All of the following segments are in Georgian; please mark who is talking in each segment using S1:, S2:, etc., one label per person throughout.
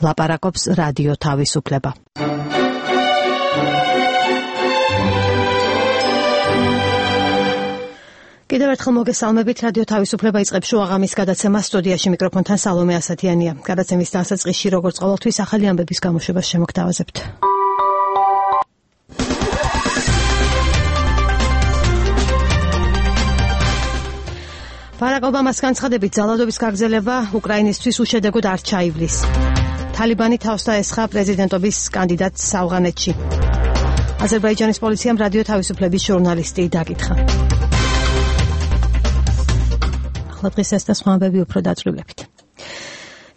S1: ლაპარაკობს რადიო თავისუფლება. კიდევ ერთხელ მოგესალმებით, რადიო თავისუფლება იწყებს შუაღამის გადაცემას. სტუდიაში მიკროფონთან სალომე ასათიანია. გადაცემის დასაწყისში როგორც ყოველთვის ახალი ამბების გამოშვებას შემოგთავაზებთ. ბარაკ ობამას განცხადებით ძალადობის გაგრძელება უკრაინისთვის უშედეგოდ არ ჩაივლის. თალიბანი თავს დაესხა პრეზიდენტობის კანდიდატს ავღანეთში. აზერბაიჯანის პოლიციამ რადიო თავისუფლების ჟურნალისტი დაკითხა. ახლა დღეს ეს და სხვა ამბები უფრო დაწვრილებით.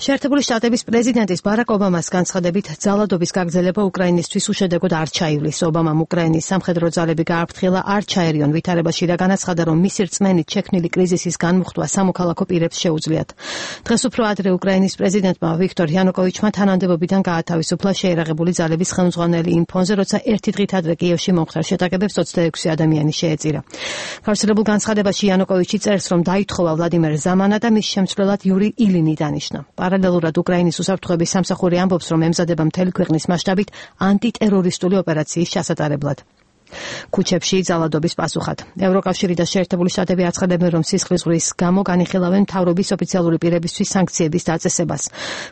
S1: შეერთებული შტატების პრეზიდენტის ბარაკ ობამას განცხადებით ძალადობის გაგრძელება უკრაინისთვის უშედეგოდ არ ჩაივლის. ობამამ უკრაინის სამხედრო ძალები გააფრთხილა არ ჩაერიონ ვითარებაში და განაცხადა, რომ მისი რწმენით შექმნილი კრიზისის განმუხტვა სამოქალაქო პირებს შეუძლიათ. დღეს უფრო ადრე უკრაინის პრეზიდენტმა ვიქტორ იანუკოვიჩმა თანამდებობიდან გაათავისუფლა შეერაღებული ძალების ხელმძღვანელი იმ ფონზე, როცა ერთი დღით ადრე კიევში მომხდარ შეტაკებებს 26 ადამიანი შეეწირა. გავრცელებულ განცხადებაში იანუკოვიჩი წერს, რომ დაითხოვა ვლადიმერ ზამანა და მის შემცვლელად იური ილინი დანიშნა. პარალელურად უკრაინის უსაფრთხოების სამსახური ამბობს, რომ ემზადება მთელი ქვეყნის მასშტაბით ანტიტერორისტული ოპერაციის ჩასატარებლად. ქუჩებში ძალადობის პასუხად. ევროკავშირი და შეერთებული შტატები აცხადებენ, რომ სისხლის ზღვრის გამო განიხილავენ მთავრობის ოფიციალური პირებისთვის სანქციების დაწესებას.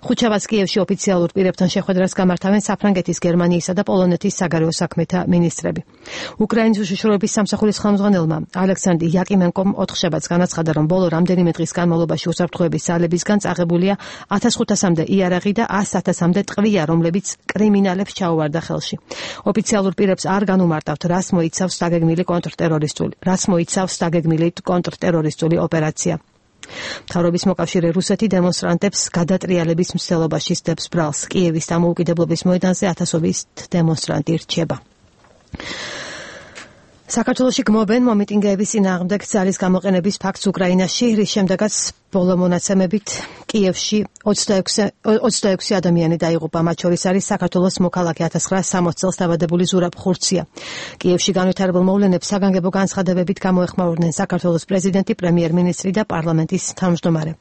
S1: ხუთშაბათს კიევში ოფიციალურ პირებთან შეხვედრას გამართავენ საფრანგეთის, გერმანიისა და პოლონეთის საგარეო საქმეთა მინისტრები. უკრაინის უშიშროების სამსახურის ხელმძღვანელმა ალექსანდრ იაკიმენკომ ოთხშაბათს განაცხადა, რომ ბოლო რამდენიმე დღის განმავლობაში უსაფრთხოების ძალებისგან წაღებულია 1500-მდე იარაღი და 100.000-მდე ტყვია, რომლებიც კრიმინალებს ჩაუვარდა ხელში. ოფიციალურ პირებს არ განუმარტავთ, რას მოიცავს დაგეგმილი კონტრტერორისტული ოპერაცია. მთავრობის მოკავშირე რუსეთი დემონსტრანტებს გადატრიალების მცდელობაში სდებს ბრალს. კიევის დამოუკიდებლობის მოედანზე ათასობით დემონსტრანტი რჩება. საქართველოში გმობენ მომიტინგეების წინააღმდეგ ძალის გამოყენების ფაქტს უკრაინაში, რის შემდეგაც ბოლო მონაცემებით კიევში 26 ადამიანი დაიღუპა. მათ შორის არის საქართველოს მოქალაქე 1960 წელს დაბადებული ზურაბ ხურცია. კიევში განვითარებულ მოვლენებს საგანგებო განცხადებებით გამოეხმაურნენ საქართველოს პრეზიდენტი, პრემიერ-მინისტრი და პარლამენტის თავმჯდომარე.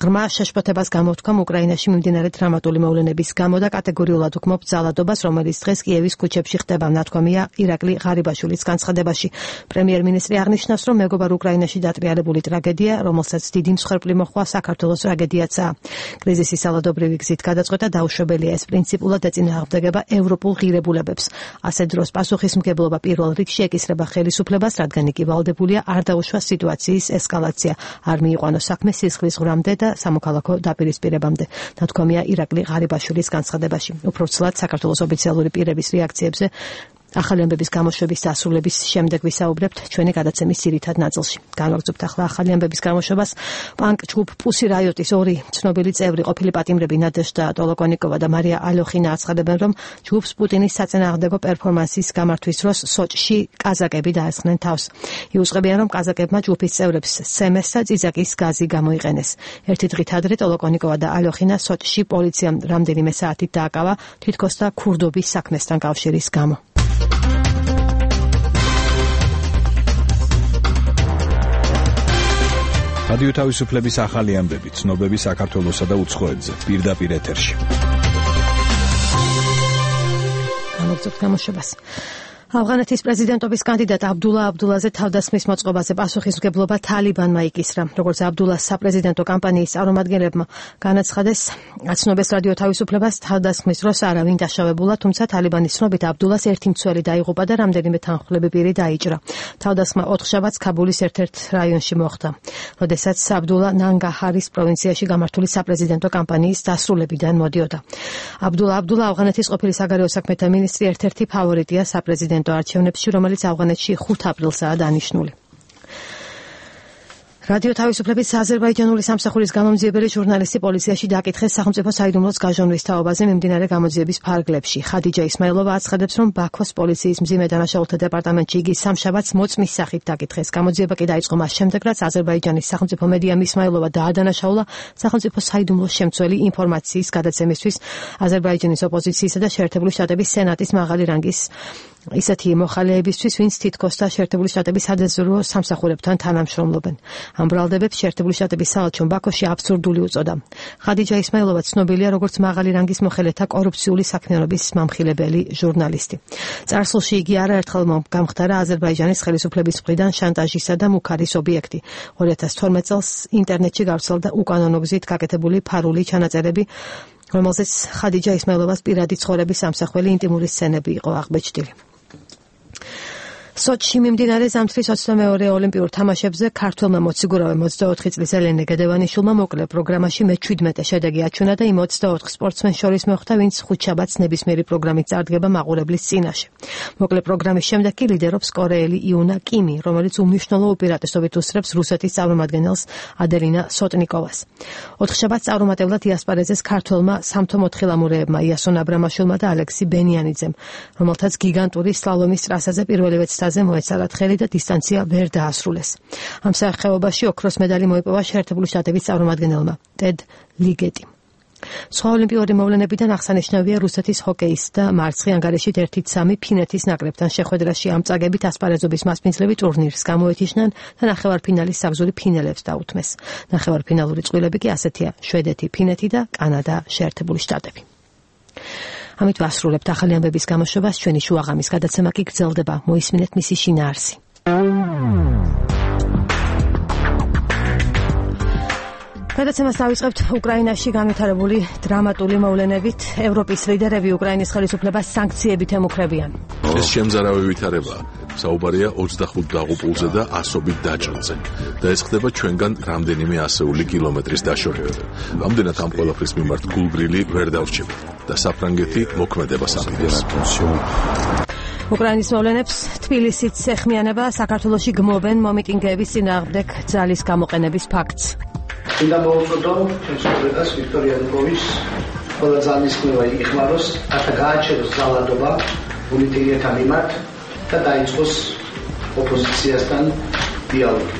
S1: ღრმა შეშფოთებას გამოთქვამ უკრაინაში მიმდინარე დრამატული მოვლენების გამო და კატეგორიულად უგმობ ძალადობას, რომელიც დღეს კიევის ქუჩებში ხდება, ნათქვამია ირაკლი ღარიბაშვილის განცხადებაში. პრემიერ-მინისტრი აღნიშნავს, რომ მეგობარ უკრაინაში დატრიალებული ტრაგედია, რომელსაც დიდი მსხვერპლი მოხდა საქართველოს ტრაგედიაცაა. კრიზისის ძალადობრივი გზით გადაწყვეტა დაუშვებელია ეს პრინციპულად ეწინააღმდეგება ევროპულ ღირებულებებს. ასეთ დროს პასუხისმგებლობა პირველ რიგში ეკისრება ხელისუფლებას, რადგან იგი ვალდებულია არ დაუშვას სიტუაციის ესკალაცია, არ მიიყვანოს საქმე სისხლის ზღვრამდე და სამოქალაქო დაპირისპირებამდე. ნათქვამია ირაკლი ღარიბაშვილის განცხადებაში. უფრო ცლად საქართველოს ოფიციალური პირების რეაქციებზე ახალი ამბების გამოშვების დასრულების შემდეგ ვისაუბრებთ ჩვენი გადაცემის ძირითად ნაწილში. განვაგრძობთ ახლა ახალი ამბების გამოშვებას. პანკ ჯგუფ პუსი რაიოტის ორი ცნობილი წევრი, ყოფილი პატიმრები ნადეჟდა ტოლოკონიკოვა და მარია ალოხინა აცხადებენ, რომ ჯგუფს პუტინის საწინააღმდეგო პერფორმანსის გამართვის დროს სოჭში კაზაკები დაესხნენ თავს. იუწყებიან, რომ კაზაკებმა ჯგუფის წევრებს სემეს და წიძაკის გაზი გამოიყენეს. ერთი დღით ადრე ტოლოკონიკოვა და ალოხინა სოჭში პოლიციამ რამდენიმე საათით დააკავა, თითქოს და ქურდობის საქმესთან კავშირის გამო.
S2: რადიო თავისუფლების ახალი ამბები, ცნობები საქართველოსა და უცხოეთზე, პირდაპირ ეთერში.
S1: გამოგზავნეთ გამოშვებას. ავღანეთის პრეზიდენტობის კანდიდატ აბდულა აბდულაზე თავდასხმის მოწყობაზე პასუხისმგებლობა თალიბანმა იკისრა. როგორც აბდულას საპრეზიდენტო კამპანიის წარმომადგენლებმა განაცხადეს, აცნობეს რადიო თავისუფლებას თავდასხმის დროს არავინ დაშავებულა, თუმცა თალიბანის ცნობით აბდულას ერთი მცველი დაიღუპა და რამდენიმე თანხმდები პირი დაიჭრა. თავდასხმა ოთხშაბათს ქაბულის ერთ-ერთ რაიონში მოხდა, როდესაც აბდულა ნანგაჰარის პროვინციაში გამართული საპრეზიდენტო კამპანიის დასრულებიდან მოდიოდა. აბდულა ავღანეთის ყოფილი საგარეო საქმეთა მინისტრი ერთ-ერთი ფავორიტია საპრეზიდენტო არჩევნებში, რომელიც ავღანეთში 5 აპრილსაა დანიშნული. რადიო თავისუფლების აზერბაიჯანული სამსახურის გამომძიებელი ჟურნალისტი პოლიციაში დაკითხეს სახელმწიფო საიდუმლოს გაჟონვის თაობაზე მიმდინარე გამოძიების ფარგლებში. ხადიჯა ისმაილოვა აცხადებს, რომ ბაქოს პოლიციის მძიმე დანაშაულთა დეპარტამენტში იგი სამშაბათს მოწმის სახით დაკითხეს. გამოძიება კი დაიწყო მას შემდეგ, რაც აზერბაიჯანის სახელმწიფო მედიამ ისმაილოვა დაადანაშაულა სახელმწიფო საიდუმლოს შემცველი ინფორმაციის გადაცემისთვის აზერბაიჯანის ოპოზიციისა და შეერთებული შტატების სენატის მაღალი რანგის ისეთი მოხალეებისთვის, ვინც თითქოს და შეერთებული შტატების სადაზვერვო სამსახურებთან თანამშრომლობენ. ამ ბრალდებებს შეერთებული შტატების საელჩომ ბაქოში აბსურდული უწოდა. ხადიჯა ისმაილოვა ცნობილია როგორც მაღალი რანგის მოხელეთა კორუფციული საქმიანობის მამხილებელი ჟურნალისტი. წარსულში იგი არაერთხელ გამხდარა აზერბაიჯანის ხელისუფლების მხრიდან შანტაჟისა და მუქარის ობიექტი. 2012 წელს ინტერნეტში გავრცელდა უკანონო გზით გაკეთებული ფარული ჩანაწერები, რომელზეც ხადიჯა ისმაილოვას პირადი ცხოვრების სამსახველი ინტიმური სცენები იყო აღბეჭდილი. სოჩში მიმდინარე ზამთრის 22-ე ოლიმპიურ თამაშებზე ქართველმა მოციგურავემ 24 წლის ელენე გედევანიშვილმა მოკლე პროგრამაში მე-17 შედეგი აჩვენა და იმ 24 სპორტსმენს შორის მოხვდა, ვინც ხუთშაბათს ნებისმიერი პროგრამით წარდგება მაყურებლის წინაშე. მოკლე პროგრამის შემდეგ კი ლიდერობს კორეელი იუნა კიმი, რომელიც უმნიშვნელო უპირატესობით უსწრებს რუსეთის წარმომადგენელს ადელინა სოტნიკოვას. 4 შაბათს წარუმატებლად იასპარეზეს ქართველმა სამთო მოთხილამურეებმა იასონ აბრამაშვილმა და ალექსი ბენიანიძემ, რომელთაც გიგანტური სლალომის ტრასაზე პირველივე ცდაზე მოეცალათ ხელი და დისტანცია ვერ დაასრულეს. ამ სახეობაში ოქროს медаლი მოიპოვა შეერთებული შტატების წარმომადგენელმა ტედ ლიგეტიმ. სხვა ოლიმპიური მოვლენებიდან აღსანიშნავია რუსეთის ჰოკეის და მარცხი ანგარიშით 1-3 ფინეთის ნაკრებთან შეხვედრაში ამ წაგებით ასპარეზობის მასპინძლები ტურნირს გამოეთიშნენ და ნახევარფინალის საგზური ფინალებს დაუთმეს. ნახევარფინალური წყვილები კი ასეთია: შვედეთი, ფინეთი და კანადა, შეერთებული შტატები. ამით ვასრულებთ ახალი ამბების გამოშვებას. ჩვენი შუაღამის გადაცემა კი გრძელდება. მოისმინეთ მისი შინაარსი. გადაცემას დავიწყებთ უკრაინაში განვითარებული დრამატული მოვლენებით. ევროპის ლიდერები უკრაინის ხელისუფლებას სანქციებით ემუქრებიან.
S3: ეს შემზარავი ვითარებაა. საუბარია 25 დაღუპულზე და ასობით დაჭრაზე და ეს ხდება ჩვენგან რამდენიმე ასეული კილომეტრის დაშორებით. ამდენად ამ ყველაფრის მიმართ გულგრილი ვერ დავრჩებით და საფრანგეთი მოქმედებას აპირებს.
S1: უკრაინის მოვლენებს თბილისით ეხმიანება. საქართველოში გმობენ მომიტინგეების წინააღმდეგ ძალის გამოყენების ფაქტს.
S4: უნდა მოუწოდო ჩვენს პრეზიდენტს ვიქტორ იანუკოვიჩს ყველა ძალისხმევა იხმაროს, რათა გააჩეროს ძალადობა პოლიტიკეთა მიმართ და დაიწყოს ოპოზიციასთან დიალოგი.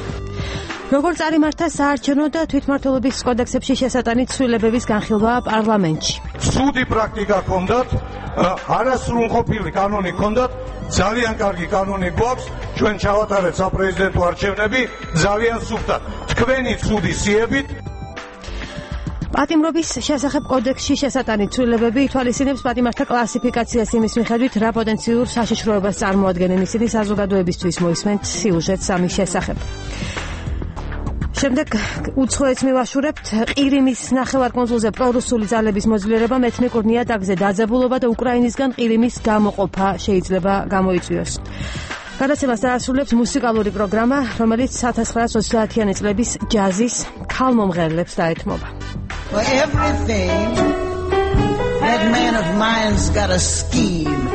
S1: როგორ წარიმართა საარჩევნო და თვითმმართველობის კოდექსებში შესატანი ცვლილებების განხილვა პარლამენტში.
S5: ცუდი პრაქტიკა ჰქონდათ, არასრულყოფილი კანონი ჰქონდათ, ძალიან კარგი კანონი გვაქვს, ჩვენ ჩავატარეთ საპრეზიდენტო არჩევნები ძალიან სუფთად. თქვენი ცუდი სიებით
S1: პატიმრობის შესახებ კოდექსში შესატანი ცვლილებები ითვალისწინებს პატიმართა კლასიფიკაციას იმის მიხედვით, რა პოტენციურ საშიშროებას წარმოადგენენ ისინი საზოგადოებისთვის. მოისმენთ სიუჟეტს ამის შესახებ. შემდეგ უცხოეთს მივაშურებთ. ყირიმის ნახევარკუნძულზე პრორუსული ძალების მოძლიერებამ ეთნიკურ ნიადაგზე დაძაბულობა და უკრაინისგან ყირიმის გამოყოფა შეიძლება გამოიწვიოს. გადაცემას დაასრულებს მუსიკალური პროგრამა, რომელიც 1930-იანი წლების ჯაზის ქალმომღერლებს დაეთმობა.
S6: For everything, that man of mine's got a scheme,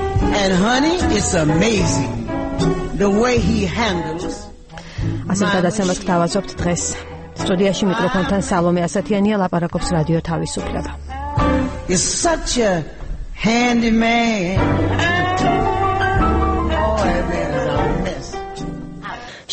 S6: and honey, it's amazing the way he handles.
S1: ასეთ გადაცემას გთავაზობთ დღეს. სტუდიაში მიკროფონთან სალომე ასათიანია, ლაპარაკობს რადიო თავისუფლება.
S6: He's such a handy man.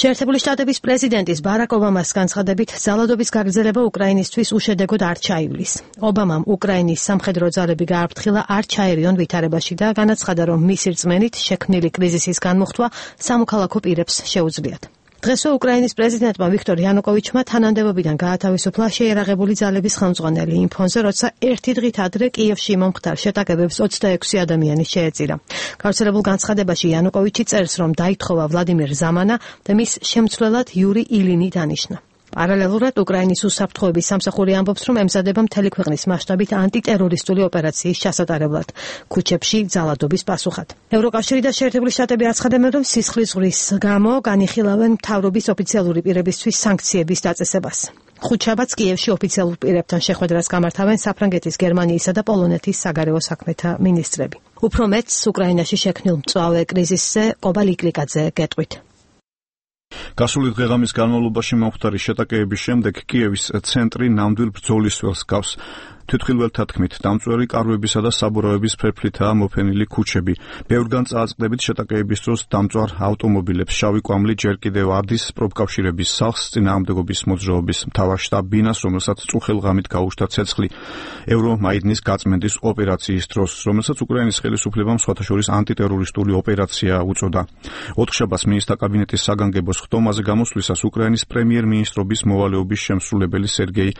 S1: შეერთებული შტატების პრეზიდენტის ბარაკ ობამას განცხადებით, ძალადობის გაგრძელება უკრაინისთვის უშედეგოდ არ ჩაივლის. ობამამ უკრაინის სამხედრო ძალები გააფრთხილა არ ჩაერიონ ვითარებაში და განაცხადა, რომ მისი რწმენით შექმნილი კრიზისის განმუხტვა სამოქალაქო პირებს შეუძლიათ. დღესვე უკრაინის პრეზიდენტმა ვიქტორ იანუკოვიჩმა თანამდებობიდან გაათავისუფლა შეიარაღებული ძალების ხელმძღვანელი იმ ფონზე, როცა ერთი დღით ადრე კიევში მომხდარ შეტაკებებს 26 ადამიანი შეეწირა. გავრცელებულ განცხადებაში იანუკოვიჩი წერს, რომ დაითხოვა ვლადიმირ ზამანა და მის შემცვლელად იური ილინი დანიშნა. პარალელურად უკრაინის უსაფრთხოების სამსახური ამბობს, რომ ემზადება მთელი ქვეყნის მასშტაბით ანტიტერორისტული ოპერაციის ჩასატარებლად ქუჩებში ძალადობის პასუხად. ევროკავშირი და შეერთებული შტატები აცხადებენ, რომ სისხლის ზღვრის გამო განიხილავენ მთავრობის ოფიციალური პირებისთვის სანქციების დაწესებას. ხუთშაბათს კიევში ოფიციალურ პირებთან შეხვედრას გამართავენ საფრანგეთის, გერმანიისა და პოლონეთის საგარეო საქმეთა მინისტრები. უფრო მეტს უკრაინაში შექმნილ მწვავე კრიზისზე ყობა ლიკლიკაძე გეტყვით.
S2: გასული დღეღამის განმავლობაში მომხდარი შეტაკებების შემდეგ კიევის ცენტრი ნამდვილ ბრძოლის ველს გავს. თვითმხილველთა თქმით, დამწვერი კარვებისა და საბურავების ფერფლითაა მოფენილი ქუჩები. ბევრგან წააწყდებით შეტაკებების დროს დამწვარ ავტომობილებს შავი კვამლი ჯერ კიდევ ადის პროფკავშირების სახლს წინააღმდეგობის მოძრაობის მთავარ შტაბ ბინას, რომელსაც წუხელ ღამით გაუჩნდა ცეცხლი ევრომაიდნის გაწმენდის ოპერაციის დროს, რომელსაც უკრაინის ხელისუფლებამ სხვათა შორის ანტიტერორისტული ოპერაცია უწოდა. ოთხშაბათს მინისტრთა კაბინეტის საგანგებო ხდომაზე გამოსვლისას უკრაინის პრემიერ-მინისტრობის მოვალეობის შემსრულებელი სერგეი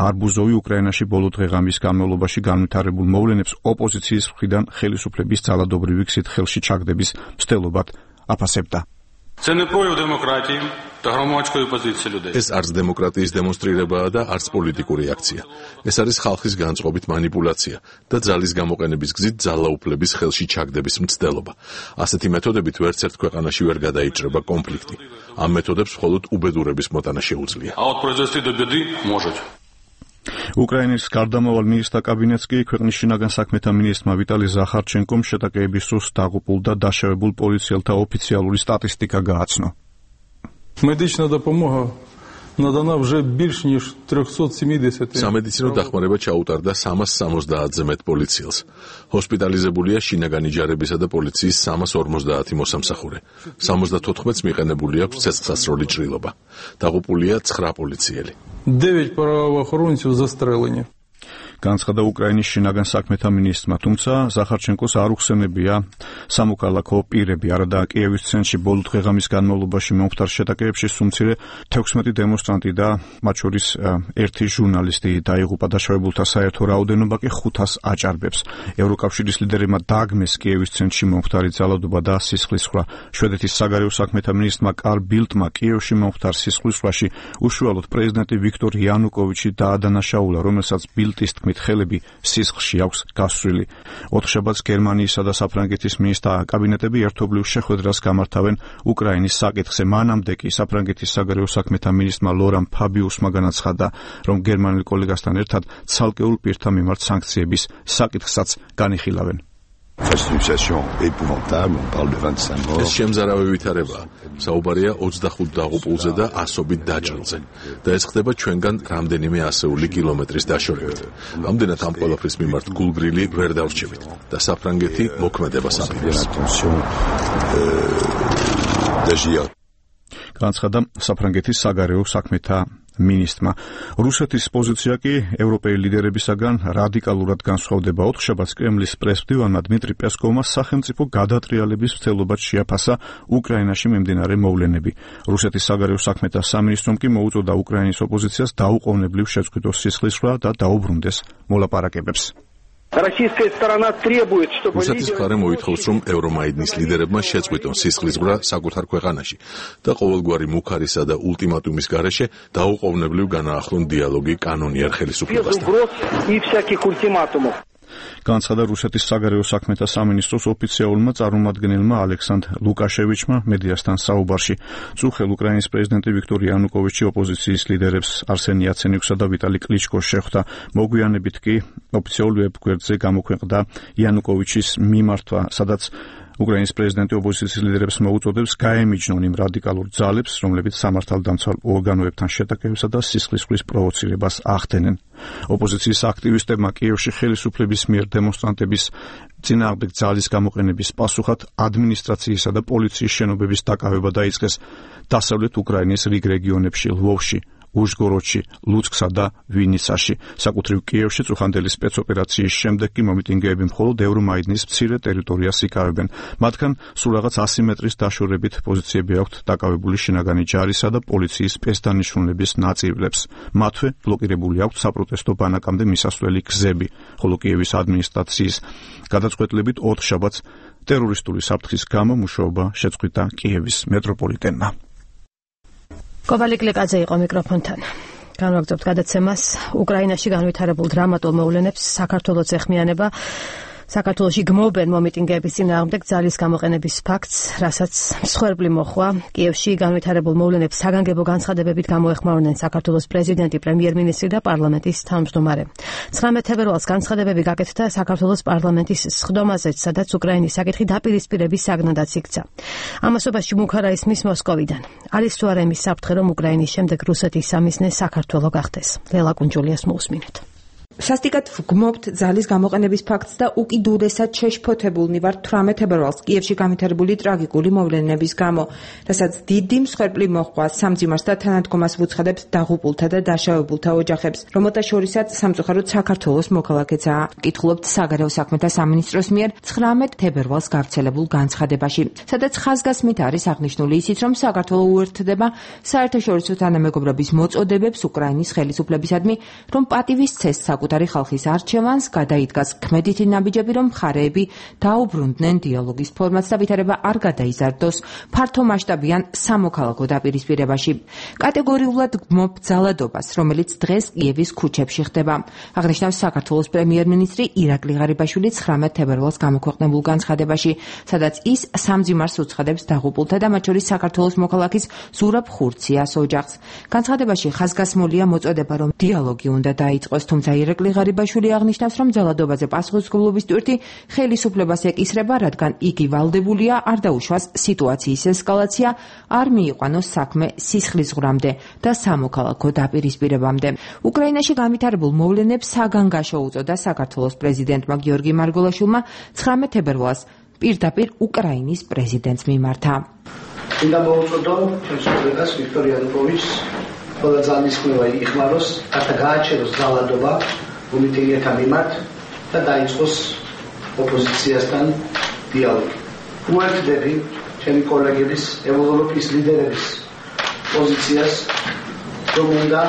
S2: არბუზოვი უკრაინაში ბოლო დღეღამის განმავლობაში განვითარებულ მოვლენებს ოპოზიციის მხრიდან ხელისუფლების ძალადობრივი გზით ხელში ჩაგდების მცდელობად აფასებდა.
S3: ეს არც დემოკრატიის დემონსტრირებაა და არც პოლიტიკური აქცია. ეს არის ხალხის განწყობით მანიპულაცია და ძალის გამოყენების გზით ძალაუფლების ხელში ჩაგდების მცდელობა. ასეთი მეთოდებით ვერცერთ ქვეყანაში ვერ გადაიჭრება კონფლიქტი. ამ მეთოდებს მხოლოდ უბედურების მოტანა შეუძლია.
S2: უკრაინის გარდამავალ მინისტრთა კაბინეტს კი ქვეყნის შინაგან საქმეთა მინისტრმა ვიტალი ზახარჩენკომ შეტაკებების დროს დაღუპულ და დაშავებულ პოლიციელთა ოფიციალური სტატისტიკა გააცნო.
S7: Медична допомога надана вже більш ніж 370.
S3: სამედიცინო დახმარება ჩაუტარდა 370-ზე მეტ პოლიციელს. ჰოსპიტალიზებულია შინაგანი ჯარებისა და პოლიციის 350 მოსამსახურე. 74-ს მიყენებული აქვს ცეცხლსასროლი ჭრილობა. დაღუპულია 9 პოლიციელი.
S7: 9 правоохоронців застрелені.
S2: განცხადა უკრაინის შინაგან საქმეთა მინისტრმა, თუმცა ზახარჩენკოს არ უხსენებია სამოქალაქო პირები, არადა კიევის ცენტრში ბოლო დღეღამის განმავლობაში მომხდარ შეტაკებებში სულ 16 დემონსტრანტი და მათ შორის ერთი ჟურნალისტი დაიღუპა, დაშავებულთა საერთო რაოდენობა კი 500 აჭარბებს. ევროკავშირის ლიდერებმა დააგმეს კიევის ცენტრში მომხდარი ძალადობა და სისხლისღვრა. შვედეთის საგარეო საქმეთა მინისტრმა კარლ ბილდმა კიევში მომხდარ სისხლისღვრაში უშუალოდ პრეზიდენტი ვიქტორ იანუკოვიჩი დაადანაშაულა, რომელსაც ბილდის თქმით ხელები სისხლში აქვს გასწრილი. ოთხშაბათს გერმანიისა და საფრანგეთის მინისტრთა კაბინეტები ერთობლივ შეხვედრას გამართავენ უკრაინის საკითხზე. მანამდე კი საფრანგეთის საგარეო საქმეთა მინისტრმა ლორან ფაბიუსმა განაცხადა, რომ გერმანელ კოლეგასთან ერთად ცალკეულ პირთა მიმართ სანქციების საკითხსაც განიხილავენ.
S3: ეს შემზარავი ვითარებაა. საუბარია 25 დაღუპულზე და ასობით დაჭრილზე. და ეს ხდება ჩვენგან რამდენიმე ასეული კილომეტრის დაშორებით. ამდენად ამ ყველაფრის მიმართ გულგრილი ვერ დავრჩებით და საფრანგეთი მოქმედებას აპირებს.
S2: განაცხადა საფრანგეთის საგარეო საქმეთა მინისტრმა. რუსეთის პოზიცია კი ევროპელი ლიდერებისაგან რადიკალურად განსხვავდება. ოთხშაბათს კრემლის პრესმდივანმა დმიტრი პესკოვმა სახელმწიფო გადატრიალების მცდელობად შეაფასა უკრაინაში მიმდინარე მოვლენები. რუსეთის საგარეო საქმეთა სამინისტრომ კი მოუწოდა უკრაინის ოპოზიციას დაუყოვნებლივ შეწყვიტოს სისხლისღვრა და დაუბრუნდეს მოლაპარაკებებს.
S3: რუსეთის მხარე მოითხოვს, რომ ევრომაიდნის ლიდერებმა შეწყვიტონ სისხლისღვრა საკუთარ ქვეყანაში და ყოველგვარი მუქარისა და ულტიმატუმის გარეშე დაუყოვნებლივ განაახლონ დიალოგი კანონიერ ხელისუფლებასთან.
S2: განაცხადა რუსეთის საგარეო საქმეთა სამინისტროს ოფიციალურმა წარმომადგენელმა ალექსანდრ ლუკაშევიჩმა მედიასთან საუბარში. წუხელ უკრაინის პრეზიდენტი ვიქტორ იანუკოვიჩი ოპოზიციის ლიდერებს არსენ იაცენიუქსა და ვიტალი კლიჩკოს შეხვდა. მოგვიანებით კი ოფიციალურ ვებგვერდზე გამოქვეყნდა იანუკოვიჩის მიმართვა, სადაც უკრაინის პრეზიდენტი ოპოზიციის ლიდერებს მოუწოდებს გაემიჯნონ იმ რადიკალურ ძალებს, რომლებიც სამართალდამცავ ორგანოებთან შეტაკებებსა და სისხლისღვრის პროვოცირებას ახდენენ. ოპოზიციის აქტივისტებმა კიევში ხელისუფლების მიერ დემონსტრანტების წინააღმდეგ ძალის გამოყენების პასუხად ადმინისტრაციისა და პოლიციის შენობების დაკავება დაიწყეს დასავლეთ უკრაინის რიგ რეგიონებში, ლვოვში, უშგოროდში, ლუცკსა და ვინიცაში. საკუთრივ კიევში წუხანდელი სპეცოპერაციის შემდეგ კი მომიტინგეები მხოლოდ ევრომაიდნის მცირე ტერიტორიას იკავებენ. მათგან სულ რაღაც 100 მეტრის დაშორებით პოზიციები აქვთ დაკავებული შინაგანი ჯარისა და პოლიციის სპეცდანიშნულების ნაწილებს. მათვე ბლოკირებული აქვთ საპროტესტო ბანაკამდე მისასვლელი გზები, ხოლო კიევის ადმინისტრაციის გადაწყვეტილებით 4 შაბათს ტერორისტული საფრთხის გამო მუშაობა შეწყვიტა კიევის მეტროპოლიტენმა.
S1: კოვალი კლეკაძე იყო მიკროფონთან. განვაგრძობთ გადაცემას. უკრაინაში განვითარებულ დრამატულ მოვლენებს საქართველოს ეხმიანება საქართველოში გმობენ მომიტინგეების წინააღმდეგ ძალის გამოყენების ფაქტს, რასაც მსხვერპლი მოხვა. კიევში განვითარებულ მოვლენებს საგანგებო განცხადებებით გამოეხმაურნენ საქართველოს პრეზიდენტი, პრემიერ-მინისტრი და პარლამენტის თავმჯდომარე. 19 თებერვალს განცხადებები გაკეთდა საქართველოს პარლამენტის სხდომაზეც, სადაც უკრაინის საკითხი დაპირისპირების საგნადაც იქცა. ამასობაში მუქარა ისმის მოსკოვიდან. არის თუ არა იმის საფრთხე, რომ უკრაინის შემდეგ რუსეთის სამიზნე საქართველო გახდეს. ლელა კუნჯულიას მოусმინეთ.
S8: სასტიკად ვგმობთ ძალის გამოყენების ფაქტს და უკიდურესად შეშფოთებულნი ვართ 18 თებერვალს კიევში განვითარებული ტრაგიკული მოვლენების გამო, რასაც დიდი მსხვერპლი მოჰყვა სამძიმარს და თანადგომას ვუცხადებს დაღუპულთა და დაშავებულთა ოჯახებს, რომელთა შორისაც სამწუხაროდ საქართველოს მოქალაქეცაა. კითხულობთ საგარეო საქმეთა სამინისტროს მიერ 19 თებერვალს გავრცელებულ განცხადებაში, სადაც ხაზგასმით არის აღნიშნული ისიც, რომ საქართველო უერთდება საერთაშორისო თანამეგობრობის მოწოდებებს უკრაინის ხელისუფლებისადმი, რომ პატივის ცეს საკუთარი ხალხის არჩევანს გადაიდგას ქმედითი ნაბიჯები, რომ მხარეები დაუბრუნდნენ დიალოგის ფორმატს და ვითარება არ გადაიზარდოს ფართომასშტაბიან სამოქალაქო დაპირისპირებაში. კატეგორიულად გმობ ძალადობას, რომელიც დღეს კიევის ქუჩებში ხდება. აღნიშნავს საქართველოს პრემიერ-მინისტრი ირაკლი ღარიბაშვილი 19 თებერვალს გამოქვეყნებულ განცხადებაში, სადაც ის სამძიმარს უცხადებს დაღუპულთა და მათ შორის საქართველოს მოქალაქის ზურაბ ხურციას ოჯახს. განცხადებაში ხაზგასმულია მოწოდება, რომ დიალოგი უნდა დაიწყოს, თუმცა ირაკლი ღარიბაშვილი აღნიშნავს, რომ ძალადობაზე პასუხისმგებლობის ტვირთი ხელისუფლებას ეკისრება, რადგან იგი ვალდებულია არ დაუშვას სიტუაციის ესკალაცია, არ მიიყვანოს საქმე სისხლისღვრამდე და სამოქალაქო დაპირისპირებამდე. უკრაინაში განვითარებულ მოვლენებს საგანგაშო უწოდა საქართველოს პრეზიდენტმა გიორგი მარგველაშვილმა 19 თებერვალს პირდაპირ უკრაინის პრეზიდენტს მიმართა.
S4: უნდა მოუწოდო ჩემს კოლეგას ვიქტორ იანუკოვიჩს ყველა ძალისხმევა იხმაროს, ახლა გააჩეროს ძალადობა მომიტინგეთა მიმართ და დაიწყოს ოპოზიციასთან დიალოგი. უერთდები ჩემი კოლეგების, ევროპის ლიდერების პოზიციას, რომ უნდა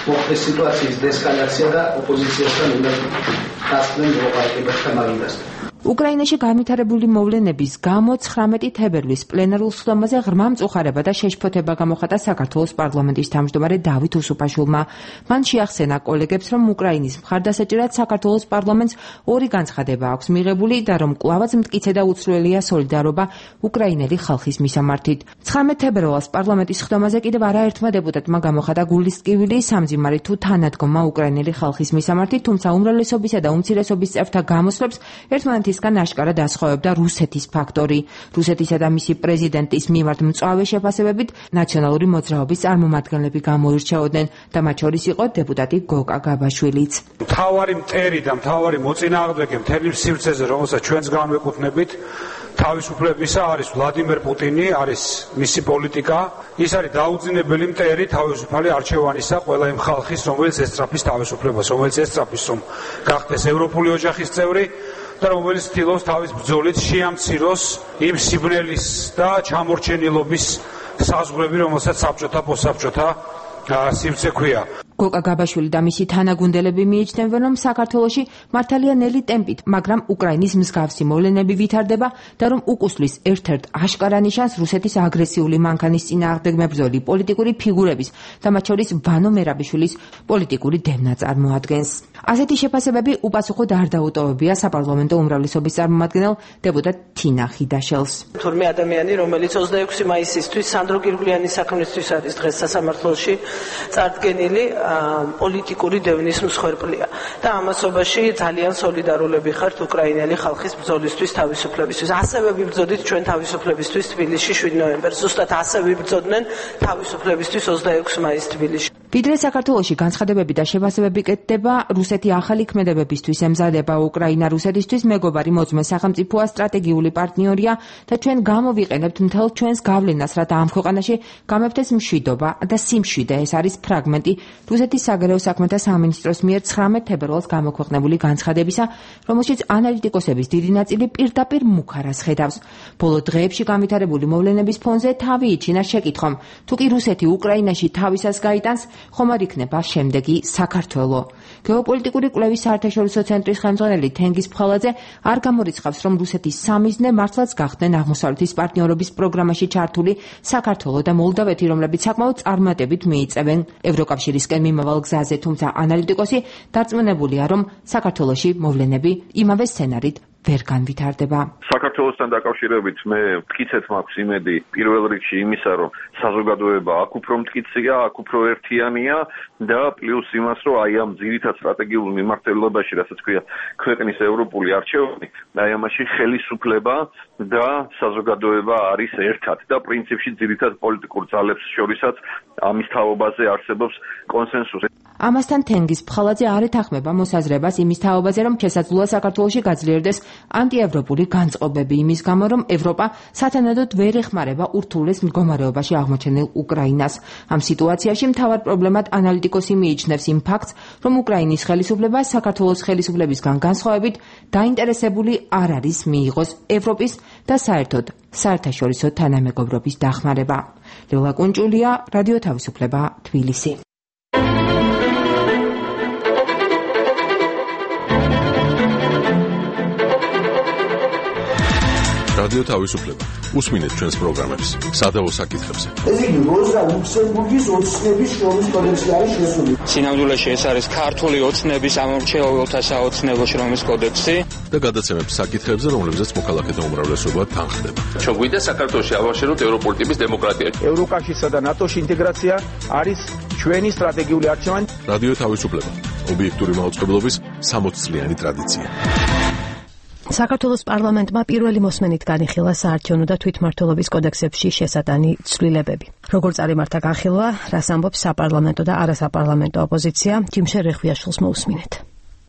S4: მოხდეს სიტუაციის დესკალაცია და ოპოზიციასთან უნდა დასწრენ მოლაპარაკებათა მაგიდასთან.
S8: უკრაინაში განვითარებული მოვლენების გამო 19 თებერვლის პლენარულ სხდომაზე ღრმა მწუხარება და შეშფოთება გამოხატა საქართველოს პარლამენტის თავმჯდომარე დავით უსუფაშვილმა. მან შეახსენა კოლეგებს, რომ უკრაინის მხარდასაჭერად საქართველოს პარლამენტს ორი განცხადება აქვს მიღებული და რომ კვლავაც მტკიცე და უცვლელია სოლიდარობა უკრაინელი ხალხის მისამართით. 19 თებერვალს პარლამენტის სხდომაზე კიდევ არაერთმა დეპუტატმა გამოხატა გულისწყივილი სამძიმარი თუ თანადგომა უკრაინელი ხალხის მისამართით, თუმცა უმრავლესობისა და უმცირესობის წევრთა გამოსვლებს ერთმანეთისგან აშკარად ასხოვებდა რუსეთის ფაქტორი. რუსეთისა და მისი პრეზიდენტის მიმართ მწვავე შეფასებებით ნაციონალური მოძრაობის წარმომადგენლები გამოირჩეოდნენ და მათ შორის იყო დეპუტატი გოკა გაბაშვილიც.
S5: მთავარი მტერი და მთავარი მოწინააღმდეგე მთელი სივრცეზე, რომელსაც ჩვენს განვეკუთვნებით, თავისუფლებისა არის ვლადიმერ პუტინი, არის მისი პოლიტიკა, ის არის დაუძინებელი მტერი თავისუფალი არჩევანისა ყველა იმ ხალხის, რომელიც ესწრაფის თავისუფლებას, რომელიც ესწრაფის, რომ გახდეს ევროპული ოჯახის წევრი და რომელიც ცდილობს თავის ბრძოლით შეამციროს იმ სიბნელის და ჩამორჩენილობის საზღვრები, რომელსაც საბჭოთა პოსტსაბჭოთა სივრცე ქვია.
S8: გოკა გაბაშვილი და მისი თანაგუნდელები მიიჩნევენ, რომ საქართველოში მართალია ნელი ტემპით, მაგრამ უკრაინის მსგავსი მოვლენები ვითარდება და რომ უკუსლის ერთ-ერთ აშკარა ნიშანს რუსეთის აგრესიული მანქანის წინააღმდეგ მებრძოლი პოლიტიკური ფიგურების და მათ შორის ვანო მერაბიშვილის პოლიტიკური დევნა წარმოადგენს. ასეთი შეფასებები უპასუხოდ არ დაუტოვებია საპარლამენტო უმრავლესობის წარმომადგენელ დეპუტატ თინა ხიდაშელს.
S9: თურმე ადამიანი, რომელიც 26 მაისისთვის სანდრო გირგვლიანის საქმისთვის არის დღეს სასამართლოში წარდგენილი, პოლიტიკური დევნის მსხვერპლია და ამასობაში ძალიან სოლიდარულები ხართ უკრაინელი ხალხის ბრძოლისთვის თავისუფლებისთვის. ასევე ვიბრძოდით ჩვენ თავისუფლებისთვის თბილისში 7 ნოემბერს. ზუსტად ასე ვიბრძოდნენ თავისუფლებისთვის 26 მაისს თბილისში.
S8: ვიდრე საქართველოში განცხადებები და შეფასებები კეთდება, რუსეთი ახალი ქმედებებისთვის ემზადება. უკრაინა რუსეთისთვის მეგობარი მოძმე სახელმწიფოა, სტრატეგიული პარტნიორია და ჩვენ გამოვიყენებთ მთელ ჩვენს გავლენას, რათა ამ ქვეყანაში გამეფდეს მშვიდობა და სიმშვიდე. ეს არის ფრაგმენტი რუსეთის საგარეო საქმეთა სამინისტროს მიერ 19 თებერვალს გამოქვეყნებული განცხადებისა, რომელშიც ანალიტიკოსების დიდი ნაწილი პირდაპირ მუქარას ხედავს. ბოლო დღეებში განვითარებული მოვლენების ფონზე თავი იჩინა შეკითხვამ, თუ კი რუსეთი უკრაინაში თავისას გაიტანს, ხომ არ იქნება შემდეგი საქართველო. გეოპოლიტიკური კვლევის საერთაშორისო ცენტრის ხელმძღვანელი თენგიზ ფხალაძე არ გამორიცხავს, რომ რუსეთის სამიზნე მართლაც გახდნენ აღმოსავლეთის პარტნიორობის პროგრამაში ჩართული საქართველო და მოლდავეთი, რომლებიც საკმაოდ წარმატებით მიიწევენ ევროკავშირისკენ მიმავალ გზაზე, თუმცა ანალიტიკოსი დარწმუნებულია, რომ საქართველოში მოვლენები იმავე სცენარით ვერ განვითარდება.
S10: საქართველოსთან დაკავშირებით მე მტკიცეთ მაქვს იმედი პირველ რიგში იმისა, რომ საზოგადოება აქ უფრო მტკიცია, აქ უფრო ერთიანია და პლუს იმას, რომ აი ამ ძირითად სტრატეგიულ მიმართულებაში, რასაც ქვია ქვეყნის ევროპული არჩევანი, აი ამაში ხელისუფლება და საზოგადოება არის ერთად და პრინციპში ძირითად პოლიტიკურ ძალებს შორისაც ამის თაობაზე არსებობს კონსენსუსი.
S8: ამასთან თენგიზ ფხალაძე არ ეთანხმება მოსაზრებას იმის თაობაზე, რომ შესაძლოა საქართველოში გაძლიერდეს ანტიევროპული განწყობები იმის გამო, რომ ევროპა სათანადოდ ვერ ეხმარება ურთულეს მდგომარეობაში აღმოჩენილ უკრაინას. ამ სიტუაციაში მთავარ პრობლემად ანალიტიკოსი მიიჩნევს იმ ფაქტს, რომ უკრაინის ხელისუფლება საქართველოს ხელისუფლებისგან განსხვავებით დაინტერესებული არ არის მიიღოს ევროპის და საერთოდ საერთაშორისო თანამეგობრობის დახმარება. ლელა კუნჭულია, რადიო თავისუფლება, თბილისი.
S3: რადიო თავისუფლება. უსმინეთ ჩვენს პროგრამებს სადავო საკითხებზე.
S11: ეს იგი როზა ლუქსემბურგის ოცნების შრომის კოდექსი არის შესული.
S12: სინამდვილეში ეს არის ქართული ოცნების ამორჩეულთა საოცნებო შრომის კოდექსი
S3: და გადაცემებს საკითხებზე, რომლებზეც მოქალაქეთა უმრავლესობა თანხდება.
S13: ჩვენ გვინდა საქართველოში ავაშენოთ ევროპული ტიპის დემოკრატია.
S14: ევროკავშირსა და ნატოში ინტეგრაცია არის ჩვენი სტრატეგიული არჩევანი.
S3: რადიო თავისუფლება. ობიექტური მაუწყებლობის 60 წლიანი ტრადიცია.
S1: საქართველოს პარლამენტმა პირველი მოსმენით განიხილა საარჩევნო და თვითმმართველობის კოდექსებში შესატანი ცვლილებები. როგორ წარიმართა განხილვა, რას ამბობს საპარლამენტო და არასაპარლამენტო ოპოზიცია, ჯიმშერ რეხვიაშვილს მოусმინეთ.